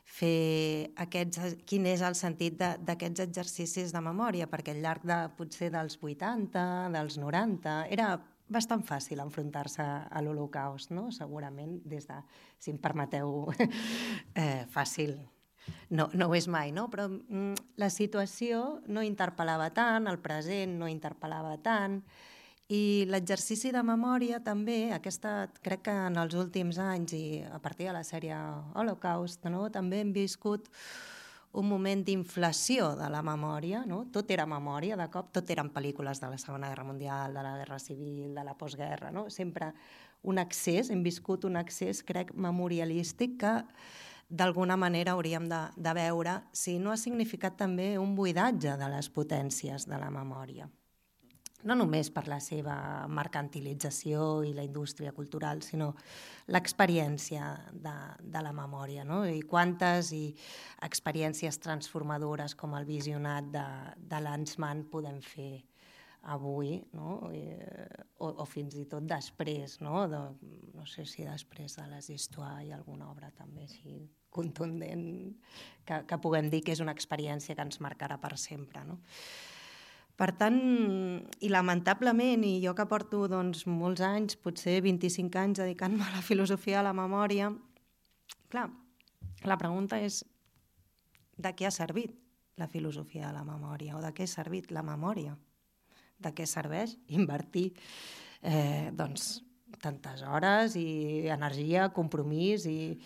fer aquests, quin és el sentit d'aquests exercicis de memòria, perquè al llarg de potser dels vuitanta, dels noranta, era bastant fàcil enfrontar-se a l'Holocaust, no? Segurament, des de, si em permeteu, eh, fàcil. No, no ho és mai, no? Però mm, la situació no interpel·lava tant, el present no interpel·lava tant, i l'exercici de memòria també, aquesta, crec que en els últims anys i a partir de la sèrie Holocaust, no? També hem viscut un moment d'inflació de la memòria, no? Tot era memòria, de cop, tot eren pel·lícules de la Segona Guerra Mundial, de la Guerra Civil, de la postguerra, no? Sempre un accés, hem viscut un accés, crec, memorialístic que d'alguna manera hauríem de, de veure si no ha significat també un buidatge de les potències de la memòria. no només per la seva mercantilització i la indústria cultural, sinó l'experiència de, de la memòria, no? I quantes i experiències transformadores com el visionat de, de Lanzmann podem fer avui, no? I, o, o fins i tot després, no? De, no sé si després de les Histoires hi ha alguna obra també així contundent que, que puguem dir que és una experiència que ens marcarà per sempre, no? Per tant, i lamentablement, i jo que porto doncs, molts anys, potser vint-i-cinc anys dedicant-me a la filosofia de la memòria, clar, la pregunta és de què ha servit la filosofia de la memòria o de què ha servit la memòria? De què serveix invertir eh, doncs, tantes hores i energia, compromís i,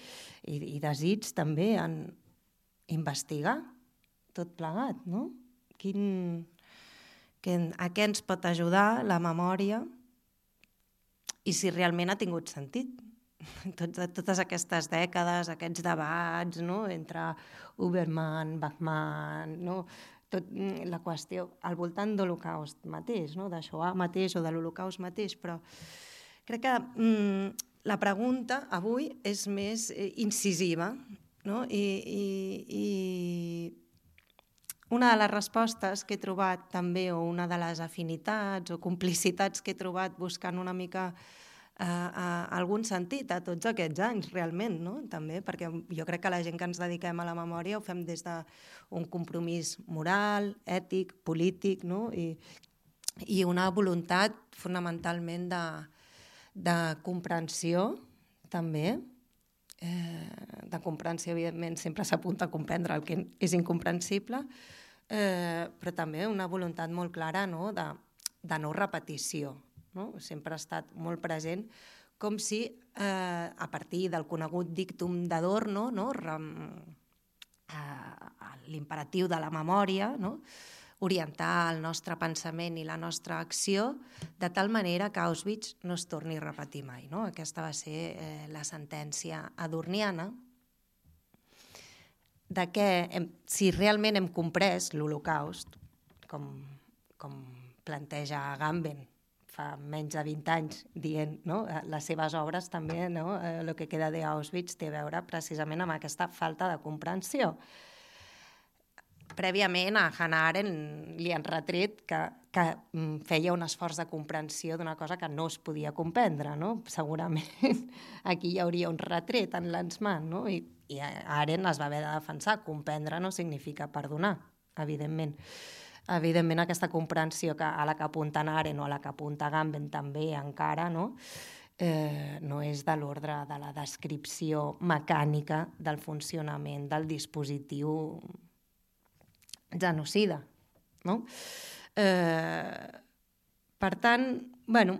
i, i desig també en investigar tot plegat, no? Quin... Que, a què ens pot ajudar la memòria i si realment ha tingut sentit. Tot, totes aquestes dècades, aquests debats, no? Entre Huberman, Bachmann, no? Tot, la qüestió al voltant de l'Holocaust mateix, no? De Shoah mateix o de l'Holocaust mateix, però crec que mm, la pregunta avui és més eh, incisiva, no? I, i, i una de les respostes que he trobat també, o una de les afinitats o complicitats que he trobat buscant una mica eh, eh, algun sentit a tots aquests anys, realment, no? També, perquè jo crec que la gent que ens dediquem a la memòria ho fem des d'un compromís moral, ètic, polític, no? I, i una voluntat fonamentalment de, de comprensió, també, eh, de comprensió, evidentment, sempre s'apunta a comprendre el que és incomprensible, Eh, però també una voluntat molt clara, no? de, de no repetició. No? Sempre ha estat molt present, com si eh, a partir del conegut dictum d'Adorno, no? eh, l'imperatiu de la memòria, no? Orientar el nostre pensament i la nostra acció de tal manera que Auschwitz no es torni a repetir mai. No? Aquesta va ser eh, la sentència adorniana, de que hem, si realment hem comprès l'Holocaust, com, com planteja Agamben fa menys de vint anys, dient, no? Les seves obres també, no? El que queda d'Auschwitz té a veure precisament amb aquesta falta de comprensió. Prèviament a Hannah Arendt li han retret que, que feia un esforç de comprensió d'una cosa que no es podia comprendre, no? Segurament aquí hi hauria un retret en Lanzmann, no? I, i Arendt es va haver de defensar. Comprendre no significa perdonar, evidentment. Evidentment aquesta comprensió que, a la que apunta Arendt o a la que apunta Agamben també encara, no? Eh, no és de l'ordre de la descripció mecànica del funcionament del dispositiu genocida, no? Eh, per tant, bueno,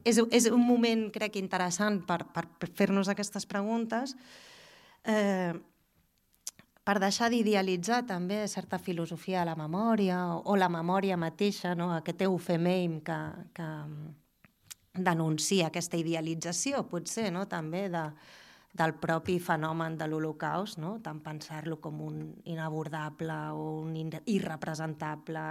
és, és un moment, crec, interessant per, per fer-nos aquestes preguntes, eh, per deixar d'idealitzar també certa filosofia de la memòria o, o la memòria mateixa, no? Aquest eufemeim que, que denuncia aquesta idealització, potser, no? També de del propi fenomen de l'Holocaust, no? Tant pensar-lo com un inabordable o un irrepresentable,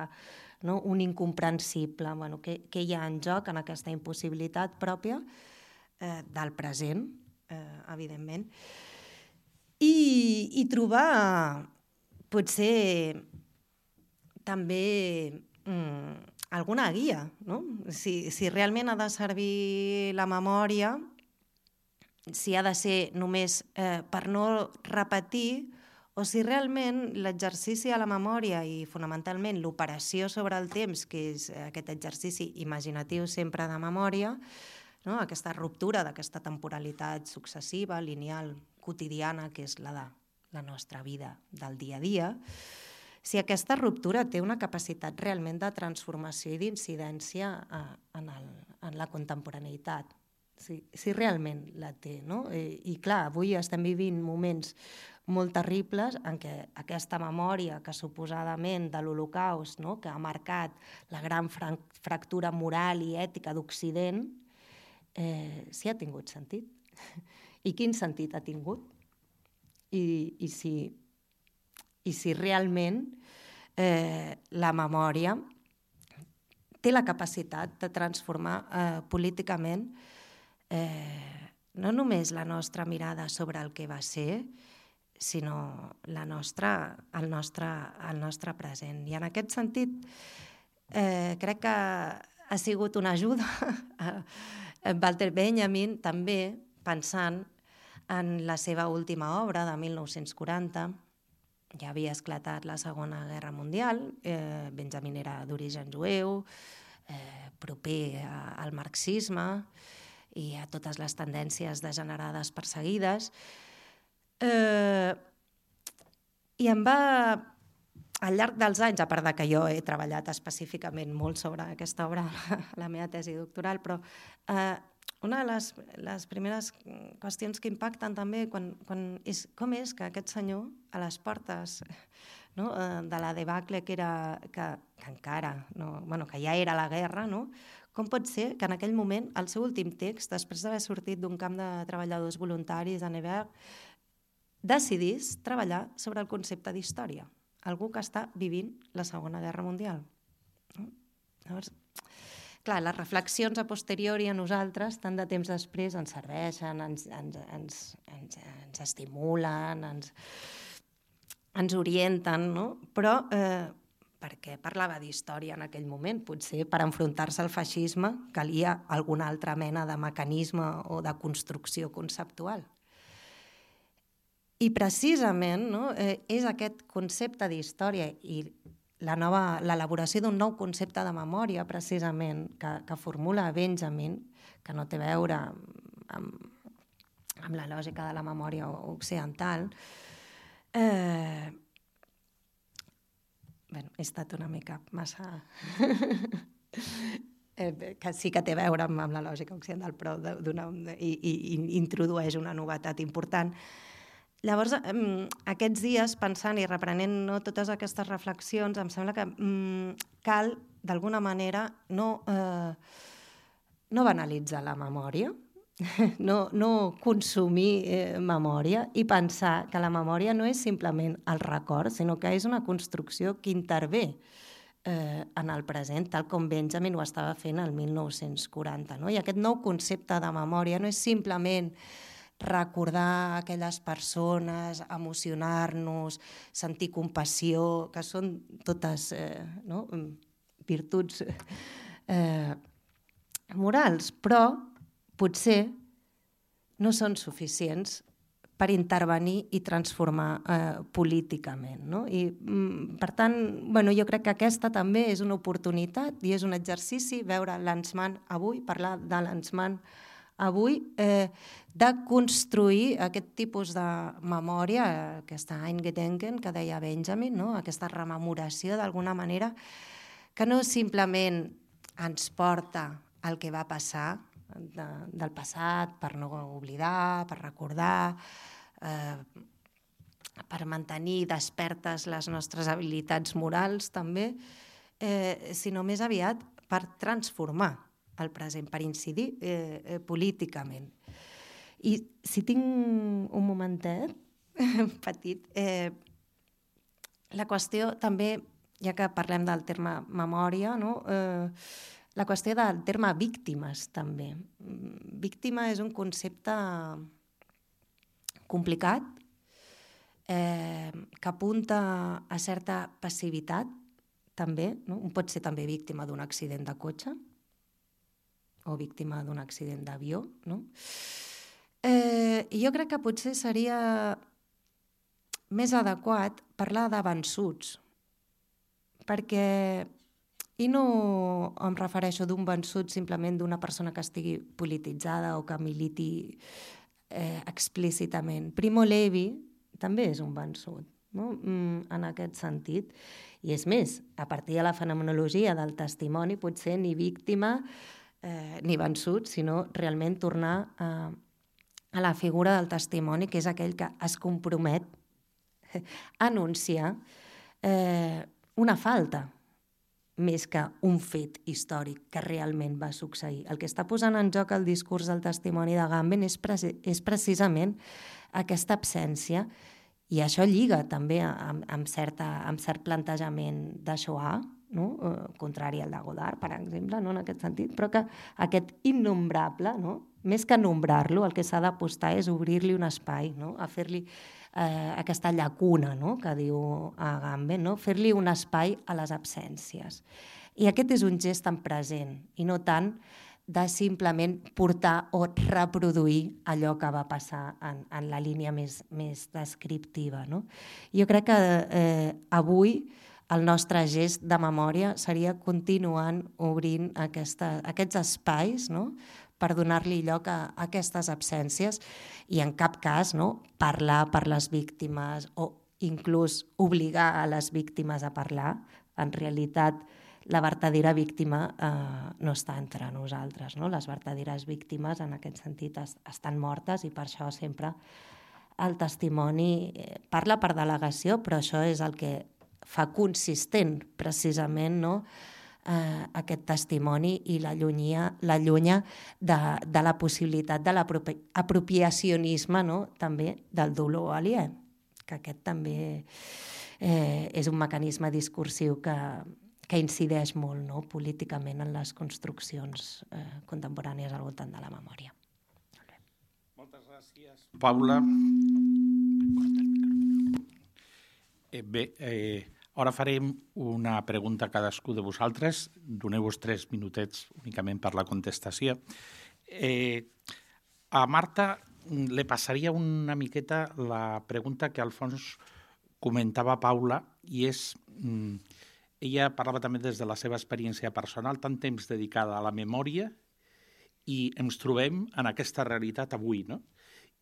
no? Un incomprensible. Bueno, què, què hi ha en joc en aquesta impossibilitat pròpia eh, del present, eh, evidentment. I, i trobar, potser, també mm, alguna guia, no? Si, si realment ha de servir la memòria, si ha de ser només eh, per no repetir, o si realment l'exercici de la memòria i fonamentalment l'operació sobre el temps, que és aquest exercici imaginatiu sempre de memòria, no? Aquesta ruptura d'aquesta temporalitat successiva, lineal, quotidiana, que és la de la nostra vida del dia a dia, si aquesta ruptura té una capacitat realment de transformació i d'incidència eh, en, el, en la contemporaneïtat. Si, si realment la té, no? I, i clar, avui estem vivint moments molt terribles en què aquesta memòria que suposadament de l'Holocaust, no? Que ha marcat la gran fra fractura moral i ètica d'Occident, eh, si ha tingut sentit. I quin sentit ha tingut? I, i, si, i si realment eh, la memòria té la capacitat de transformar eh, políticament eh, no només la nostra mirada sobre el que va ser, sinó la nostra, el, nostre, el nostre present. I en aquest sentit, eh, crec que ha sigut una ajuda a Walter Benjamin, també pensant en la seva última obra de mil nou-cents quaranta. Ja havia esclatat la Segona Guerra Mundial, eh, Benjamin era d'origen jueu, eh, proper a, al marxisme i a totes les tendències degenerades perseguides. Eh, I em va, al llarg dels anys, a part de que jo he treballat específicament molt sobre aquesta obra a la meva tesi doctoral, però eh, una de les, les primeres qüestions que impacten també quan, quan és com és que aquest senyor, a les portes, no, de la debacle que, era, que, que encara, no, bueno, que ja era la guerra, no? Com pot ser que en aquell moment, el seu últim text, després d'haver sortit d'un camp de treballadors voluntaris a Nevers, decidís treballar sobre el concepte d'història, algú que està vivint la Segona Guerra Mundial. No? Llavors, clar, les reflexions a posteriori a nosaltres, tant de temps després, ens serveixen, ens, ens, ens, ens, ens estimulen, ens, ens orienten, no? Però eh, perquè parlava d'història en aquell moment? Potser per enfrontar-se al feixisme calia alguna altra mena de mecanisme o de construcció conceptual. I precisament no, eh, és aquest concepte d'història i la nova, l'elaboració d'un nou concepte de memòria, precisament, que, que formula Benjamin, que no té a veure amb, amb la lògica de la memòria occidental. Eh, bueno, he estat una mica massa... eh, que sí que té a veure amb, amb la lògica occidental, però i, i, i introdueix una novetat important. Llavors, aquests dies, pensant i reprenent no, totes aquestes reflexions, em sembla que mm, cal, d'alguna manera, no, eh, no banalitzar la memòria, no, no consumir eh, memòria i pensar que la memòria no és simplement el record, sinó que és una construcció que intervé eh, en el present, tal com Benjamin ho estava fent el mil nou-cents quaranta. No? I aquest nou concepte de memòria no és simplement recordar aquelles persones, emocionar-nos, sentir compassió, que són totes eh, no? virtuts eh, morals, però potser no són suficients per intervenir i transformar eh, políticament. No? I, per tant, bueno, jo crec que aquesta també és una oportunitat i és un exercici veure l'Ansman avui, parlar de l'Ansman avui, eh, de construir aquest tipus de memòria, aquesta Eingedenken que deia Benjamin, no? Aquesta rememoració d'alguna manera, que no simplement ens porta al que va passar de, del passat per no oblidar, per recordar, eh, per mantenir despertes les nostres habilitats morals també, eh, sinó més aviat per transformar el present, per incidir eh, eh, políticament. I si tinc un momentet petit, eh, la qüestió també, ja que parlem del terme memòria, no? eh, la qüestió del terme víctimes també. Víctima és un concepte complicat, eh, que apunta a certa passivitat també, no? Un pot ser també víctima d'un accident de cotxe, o víctima d'un accident d'avió, no? Eh, jo crec que potser seria més adequat parlar de vençuts, perquè, i no em refereixo d'un vençut simplement d'una persona que estigui polititzada o que militi eh, explícitament. Primo Levi també és un vençut, no? Mm, en aquest sentit. I és més, a partir de la fenomenologia del testimoni, potser ni víctima Eh, ni vençut, sinó realment tornar a, a la figura del testimoni, que és aquell que es compromet a anunciar eh, una falta més que un fet històric que realment va succeir. El que està posant en joc el discurs del testimoni de Agamben és, pre- és precisament aquesta absència, i això lliga també amb, amb, certa, amb cert plantejament de Shoah, no? eh, contrari al de Godard, per exemple, no? En aquest sentit, però que aquest innombrable, no? Més que nombrar-lo, el que s'ha d'apostar és obrir-li un espai, no? A fer-li eh, aquesta llacuna, no? Que diu Agamben, no? Fer-li un espai a les absències. I aquest és un gest tan present i no tant de simplement portar o reproduir allò que va passar en, en la línia més, més descriptiva. No? Jo crec que eh, avui el nostre gest de memòria seria continuant obrint aquesta, aquests espais, no? Per donar-li lloc a, a aquestes absències i en cap cas, no? Parlar per les víctimes o inclús obligar a les víctimes a parlar. En realitat, la verdadera víctima eh, no està entre nosaltres. No? Les verdaderes víctimes, en aquest sentit, es, estan mortes i per això sempre el testimoni eh, parla per delegació, però això és el que fa consistent, precisament, no? eh, aquest testimoni i l'allunya la de, de la possibilitat de l'apropiacionisme, no? També del dolor aliè, que aquest també eh, és un mecanisme discursiu que que incideix molt, no? Políticament en les construccions eh, contemporànies al voltant de la memòria. Moltes gràcies, Paula. Eh, bé, eh, ara farem una pregunta a cadascú de vosaltres. Doneu-vos tres minutets únicament per la contestació. Eh, a Marta le passaria una miqueta la pregunta que al fons comentava Paula, i és... Mm, ella parlava també des de la seva experiència personal, tant temps dedicada a la memòria, i ens trobem en aquesta realitat avui, no?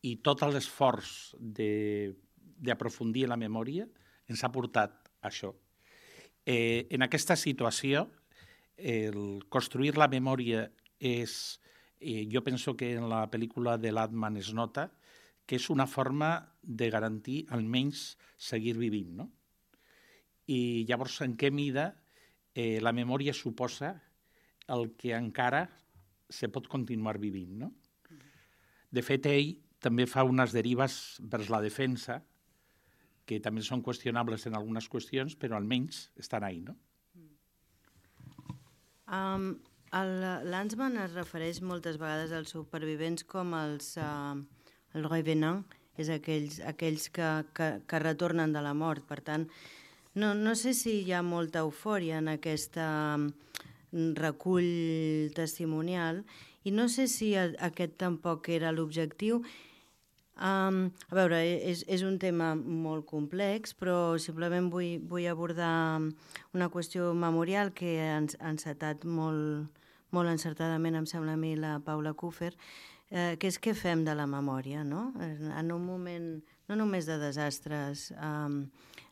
I tot l'esforç d'aprofundir en la memòria ens ha portat a això. Eh, en aquesta situació, el construir la memòria és... Eh, jo penso que en la pel·lícula de Latman es nota que és una forma de garantir almenys seguir vivint, no? I llavors, en què mida eh, la memòria suposa el que encara se pot continuar vivint, no? De fet, ell també fa unes derives vers la defensa, que també són qüestionables en algunes qüestions, però almenys estan ahí, no? Um, Lanzmann es refereix moltes vegades als supervivents com els uh, el revenant, és aquells, aquells que, que, que retornen de la mort. Per tant, No, no sé si hi ha molta eufòria en aquest recull testimonial i no sé si aquest tampoc era l'objectiu. Um, a veure, és, és un tema molt complex, però simplement vull, vull abordar una qüestió memorial que ha encetat molt, molt encertadament, em sembla a mi, la Paula Kufer, eh, que és què fem de la memòria, no? En un moment no només de desastres um,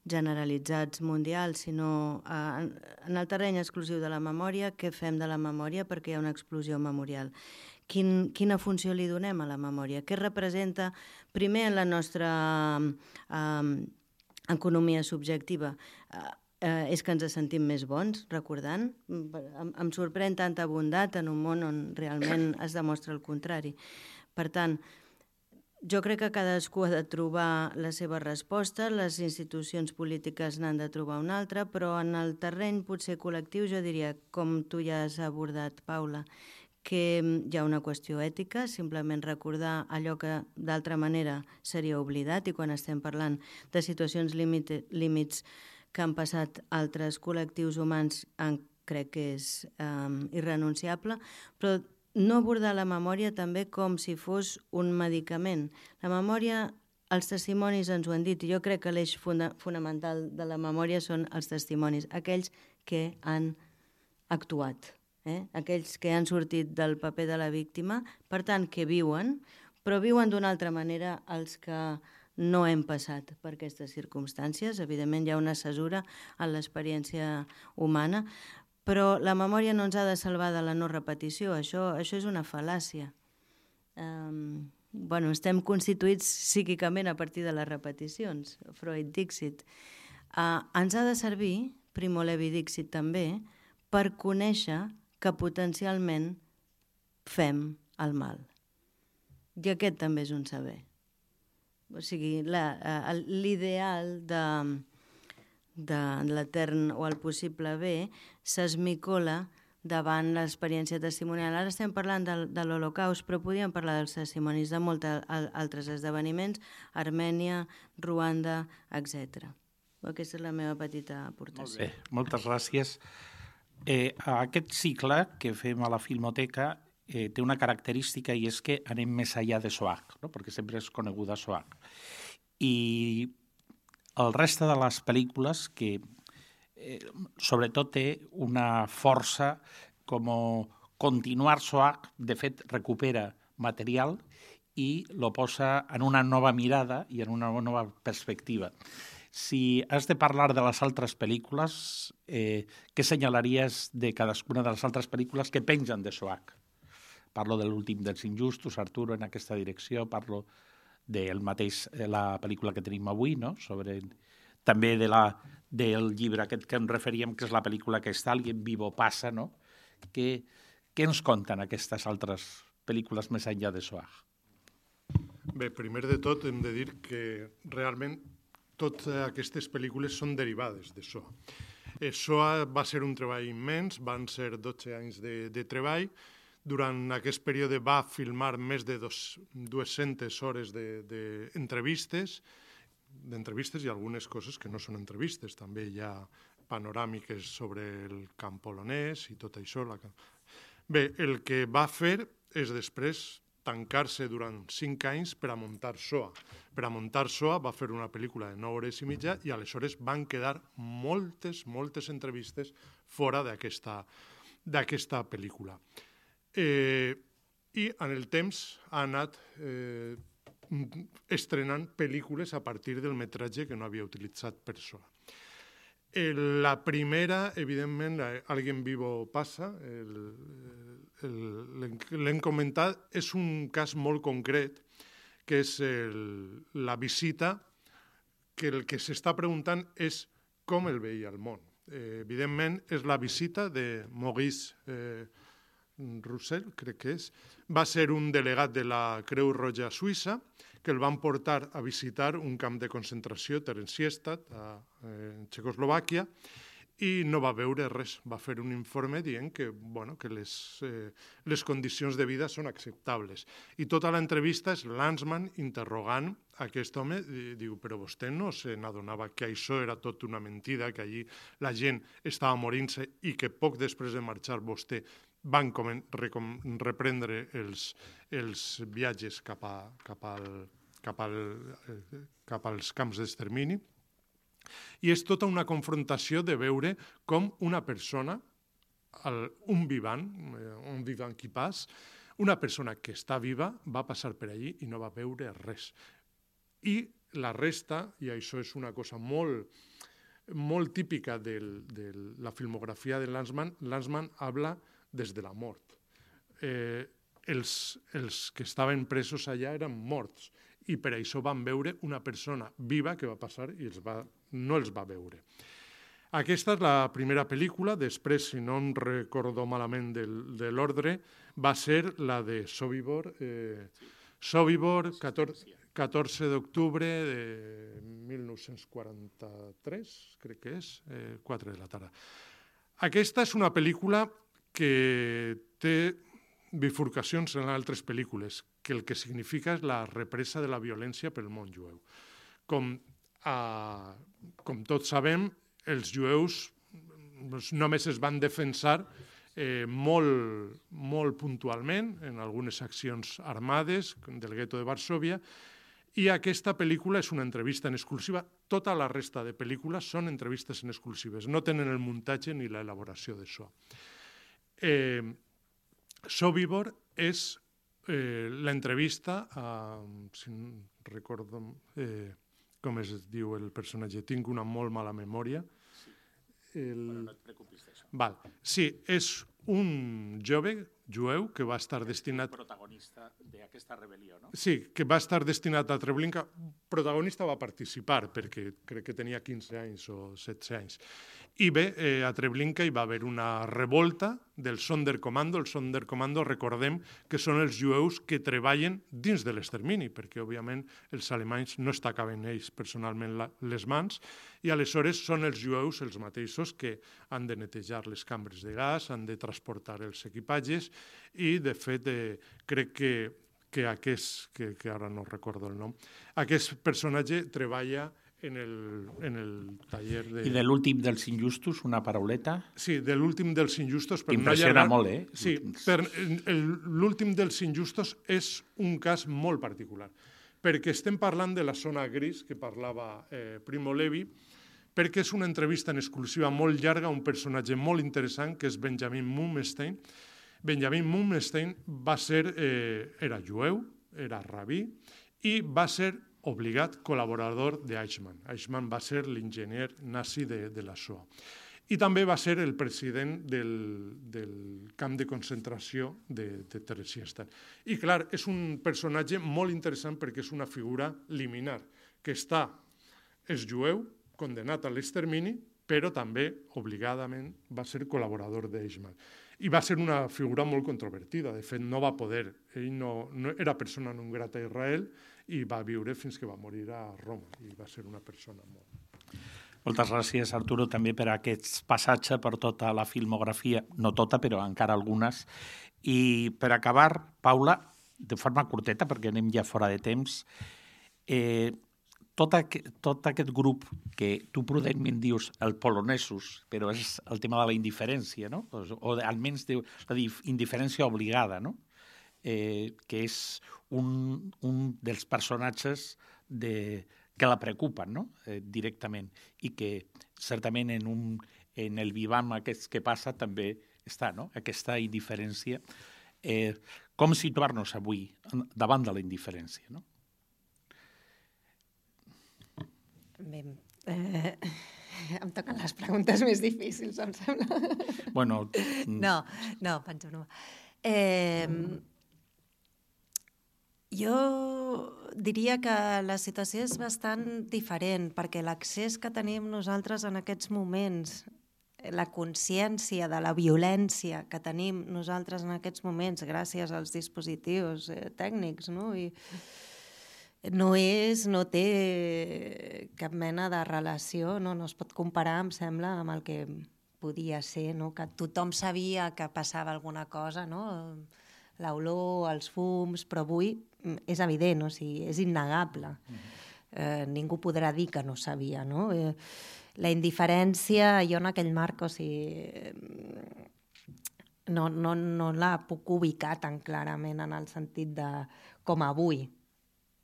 generalitzats mundials, sinó eh, en el terreny exclusiu de la memòria, què fem de la memòria perquè hi ha una explosió memorial. Quin, quina funció li donem a la memòria? Què representa, primer, en la nostra eh, economia subjectiva? Eh, eh, és que ens sentim més bons, recordant? Em, em sorprèn tanta bondat en un món on realment es demostra el contrari. Per tant, jo crec que cadascú ha de trobar la seva resposta, les institucions polítiques n'han de trobar una altra, però en el terreny potser col·lectiu jo diria, com tu ja has abordat, Paula, que hi ha una qüestió ètica, simplement recordar allò que d'altra manera seria oblidat, i quan estem parlant de situacions límite, límits que han passat altres col·lectius humans, crec que és um, irrenunciable, però no abordar la memòria també com si fos un medicament. La memòria, els testimonis ens ho han dit, i jo crec que l'eix funda fonamental de la memòria són els testimonis, aquells que han actuat, eh? Aquells que han sortit del paper de la víctima, per tant, que viuen, però viuen d'una altra manera els que no hem passat per aquestes circumstàncies. Evidentment hi ha una cesura en l'experiència humana, però la memòria no ens ha de salvar de la no repetició, això, això és una fal·làcia. Um, bueno, estem constituïts psíquicament a partir de les repeticions, Freud Dixit. Uh, ens ha de servir, Primo Levi Dixit també, per conèixer que potencialment fem el mal. I aquest també és un saber. O sigui, l'ideal de... de l'etern o el possible bé s'esmicola davant l'experiència testimonial. Ara estem parlant de, de l'Holocaust, però podríem parlar dels testimonis de molts altres esdeveniments, Armènia, Ruanda, etcètera. Aquesta és la meva petita aportació. Molt bé, moltes gràcies. Eh, aquest cicle que fem a la Filmoteca eh, té una característica i és que anem més enllà de SOAG, no? Perquè sempre és coneguda SOAG. I el reste de les pel·lícules que eh, sobretot té una força com continuar SOAG, de fet recupera material i lo posa en una nova mirada i en una nova perspectiva. Si has de parlar de les altres pel·lícules, eh, què senyalaries de cadascuna de les altres pel·lícules que pengen de SOAG? Parlo de l'últim dels injustos, Arturo, en aquesta direcció, parlo del mateix, de la pel·lícula que tenim avui, no? Sobre, també de la, del llibre aquest que ens referíem, que és la pel·lícula que està, Alguien vivo passa, no? Què, què ens conten aquestes altres pel·lícules més enllà de SOAG? Bé, primer de tot hem de dir que realment totes aquestes pel·lícules són derivades de SOA. Eh, SOA va ser un treball immens, van ser dotze anys de, de treball. Durant aquest període va filmar més de dos, dues-centes hores d'entrevistes, de, d'entrevistes i algunes coses que no són entrevistes. També hi ha panoràmiques sobre el camp polonès i tot això. La... Bé, el que va fer és després tancar-se durant cinc anys per a muntar SOA. Per a muntar SOA va fer una pel·lícula de nou hores i mitja i aleshores van quedar moltes, moltes entrevistes fora d'aquesta d'aquesta pel·lícula. Eh, I en el temps ha anat eh, estrenant pel·lícules a partir del metratge que no havia utilitzat per SOA. La primera, evidentment, Alguien vivo passa, l'hem comentat, és un cas molt concret, que és el, la visita, que el que s'està preguntant és com el veia el món. Eh, evidentment, és la visita de Maurice eh, Roussel, crec que és, va ser un delegat de la Creu Roja Suïssa, que el van portar a visitar un camp de concentració, Theresienstadt, a eh, Txecoslovàquia, i no va veure res. Va fer un informe dient que, bueno, que les, eh, les condicions de vida són acceptables. I tota l'entrevista és Lanzmann interrogant aquest home, i diu, però vostè no se n'adonava que això era tot una mentida, que allí la gent estava morint-se i que poc després de marxar vostè van reprendre els, els viatges cap, a, cap, al, cap, al, cap als camps d'extermini. I és tota una confrontació de veure com una persona, el, un vivant, un vivant qui pas, una persona que està viva va passar per allí i no va veure res. I la resta, i això és una cosa molt, molt típica de la filmografia de Lanzmann, Lanzmann habla des de la mort. Eh, els, els que estaven presos allà eren morts i per això van veure una persona viva que va passar i els va, no els va veure. Aquesta és la primera pel·lícula, després, si no em recordo malament del, de l'ordre, va ser la de Sobibor, eh, Sobibor, catorze d'octubre de mil nou-cents quaranta-tres, crec que és, eh, quatre de la tarda. Aquesta és una pel·lícula que té bifurcacions en altres pel·lícules, que el que significa és la represa de la violència pel món jueu. Com, eh, com tots sabem, els jueus només es van defensar eh, molt, molt puntualment en algunes accions armades del gueto de Varsòvia, i aquesta pel·lícula és una entrevista en exclusiva. Tota la resta de pel·lícules són entrevistes en exclusives, no tenen el muntatge ni l'elaboració d'això. Eh, Sobibor és eh, l'entrevista, eh, si no recordo eh, com es diu el personatge, tinc una molt mala memòria. El... Bueno, no et preocupis d'això. Val. Sí, és un jove jueu que va estar destinat... El protagonista d'aquesta rebel·lió, no? Sí, que va estar destinat a Treblinka. Protagonista va participar perquè crec que tenia quinze anys o setze anys. I bé, eh, a Treblinka hi va haver una revolta del Sonderkommando. El Sonderkommando, recordem que són els jueus que treballen dins de l'extermini, perquè, òbviament, els alemanys no es tacaven ells personalment la, les mans, i aleshores són els jueus els mateixos que han de netejar les cambres de gas, han de transportar els equipatges, i, de fet, eh, crec que, que aquest, que, que ara no recordo el nom, aquest personatge treballa en el, en el taller de... I de l'últim dels injustos, una parauleta? Sí, de l'últim dels injustos... Per Impressiona no molt, eh? Sí, per, l'últim dels injustos és un cas molt particular, perquè estem parlant de la zona gris que parlava eh, Primo Levi, perquè és una entrevista en exclusiva molt llarga a un personatge molt interessant, que és Benjamin Mummenstein. Benjamin Mummenstein va ser, eh, era jueu, era rabí, i va ser obligat col·laborador d'Eichmann. Eichmann va ser l'enginyer nazi de, de la Shoah. I també va ser el president del, del camp de concentració de, de Theresienstadt. I clar, és un personatge molt interessant perquè és una figura liminar, que està, és jueu, condenat a l'extermini, però també, obligadament, va ser col·laborador d'Eichmann. I va ser una figura molt controvertida. De fet, no va poder. Ell no, no era persona non grata a Israel i va viure fins que va morir a Roma. I va ser una persona molt... Moltes gràcies, Arturo, també per aquest passatge per tota la filmografia, no tota, però encara algunes. I per acabar, Paula, de forma curteta, perquè anem ja fora de temps, eh, tot, aquest, tot aquest grup que tu prudentment dius el polonesos, però és el tema de la indiferència, no? O almenys de la indiferència obligada, no? Eh, que és un, un dels personatges de, que la preocupen, no? eh, directament, i que certament en, un, en el vivam aquest que passa també està, no? Aquesta indiferència. Eh, com situar-nos avui davant de la indiferència, no? Bé, eh, em toquen les preguntes més difícils, em sembla. Bueno... No, no, penso no. Eh, jo diria que la situació és bastant diferent, perquè l'accés que tenim nosaltres en aquests moments, la consciència de la violència que tenim nosaltres en aquests moments gràcies als dispositius eh, tècnics, no? I no és, no té cap mena de relació, no, no es pot comparar, em sembla, amb el que podia ser, no? Que tothom sabia que passava alguna cosa, no? L'olor, els fums, però avui és evident, o sigui, és innegable. Eh, ningú podrà dir que no sabia, no? Eh, la indiferència, jo en aquell marc, o sigui, no, no, no la puc ubicar tan clarament en el sentit de com avui,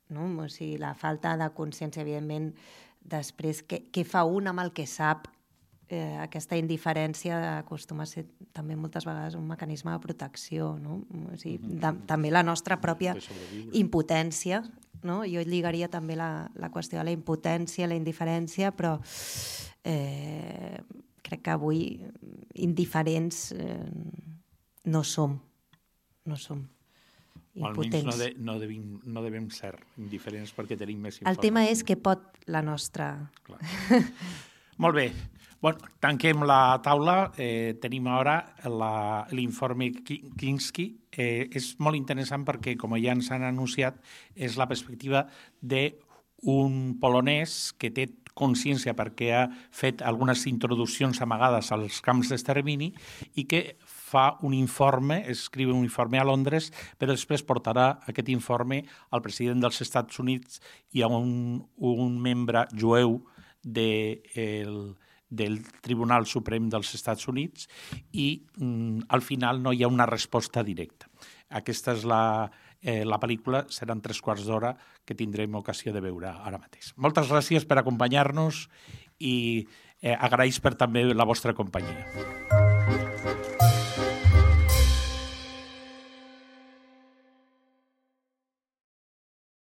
no? O sigui, la falta de consciència, evidentment, després, què, què fa un amb el que sap? Eh, aquesta indiferència acostuma a ser també moltes vegades un mecanisme de protecció, no? O sigui, de, també la nostra pròpia impotència, no? Jo lligaria també la, la qüestió de la impotència, la indiferència, però eh, crec que avui indiferents eh, no som, no som. Almenys no, de, no, devim, no devem ser indiferents perquè tenim més informació. El tema és que pot la nostra... Molt bé. Bueno, tanquem la taula. Eh, tenim ara l'informe Kinski. Eh, és molt interessant perquè, com ja ens han anunciat, és la perspectiva d'un polonès que té consciència perquè ha fet algunes introduccions amagades als camps d'extermini i que fa un informe, escriu un informe a Londres, però després portarà aquest informe al president dels Estats Units i a un, un membre jueu de, el, del Tribunal Suprem dels Estats Units i mm, al final no hi ha una resposta directa. Aquesta és la, eh, la pel·lícula, seran tres quarts d'hora que tindrem ocasió de veure ara mateix. Moltes gràcies per acompanyar-nos i eh, agraïs per també la vostra companyia.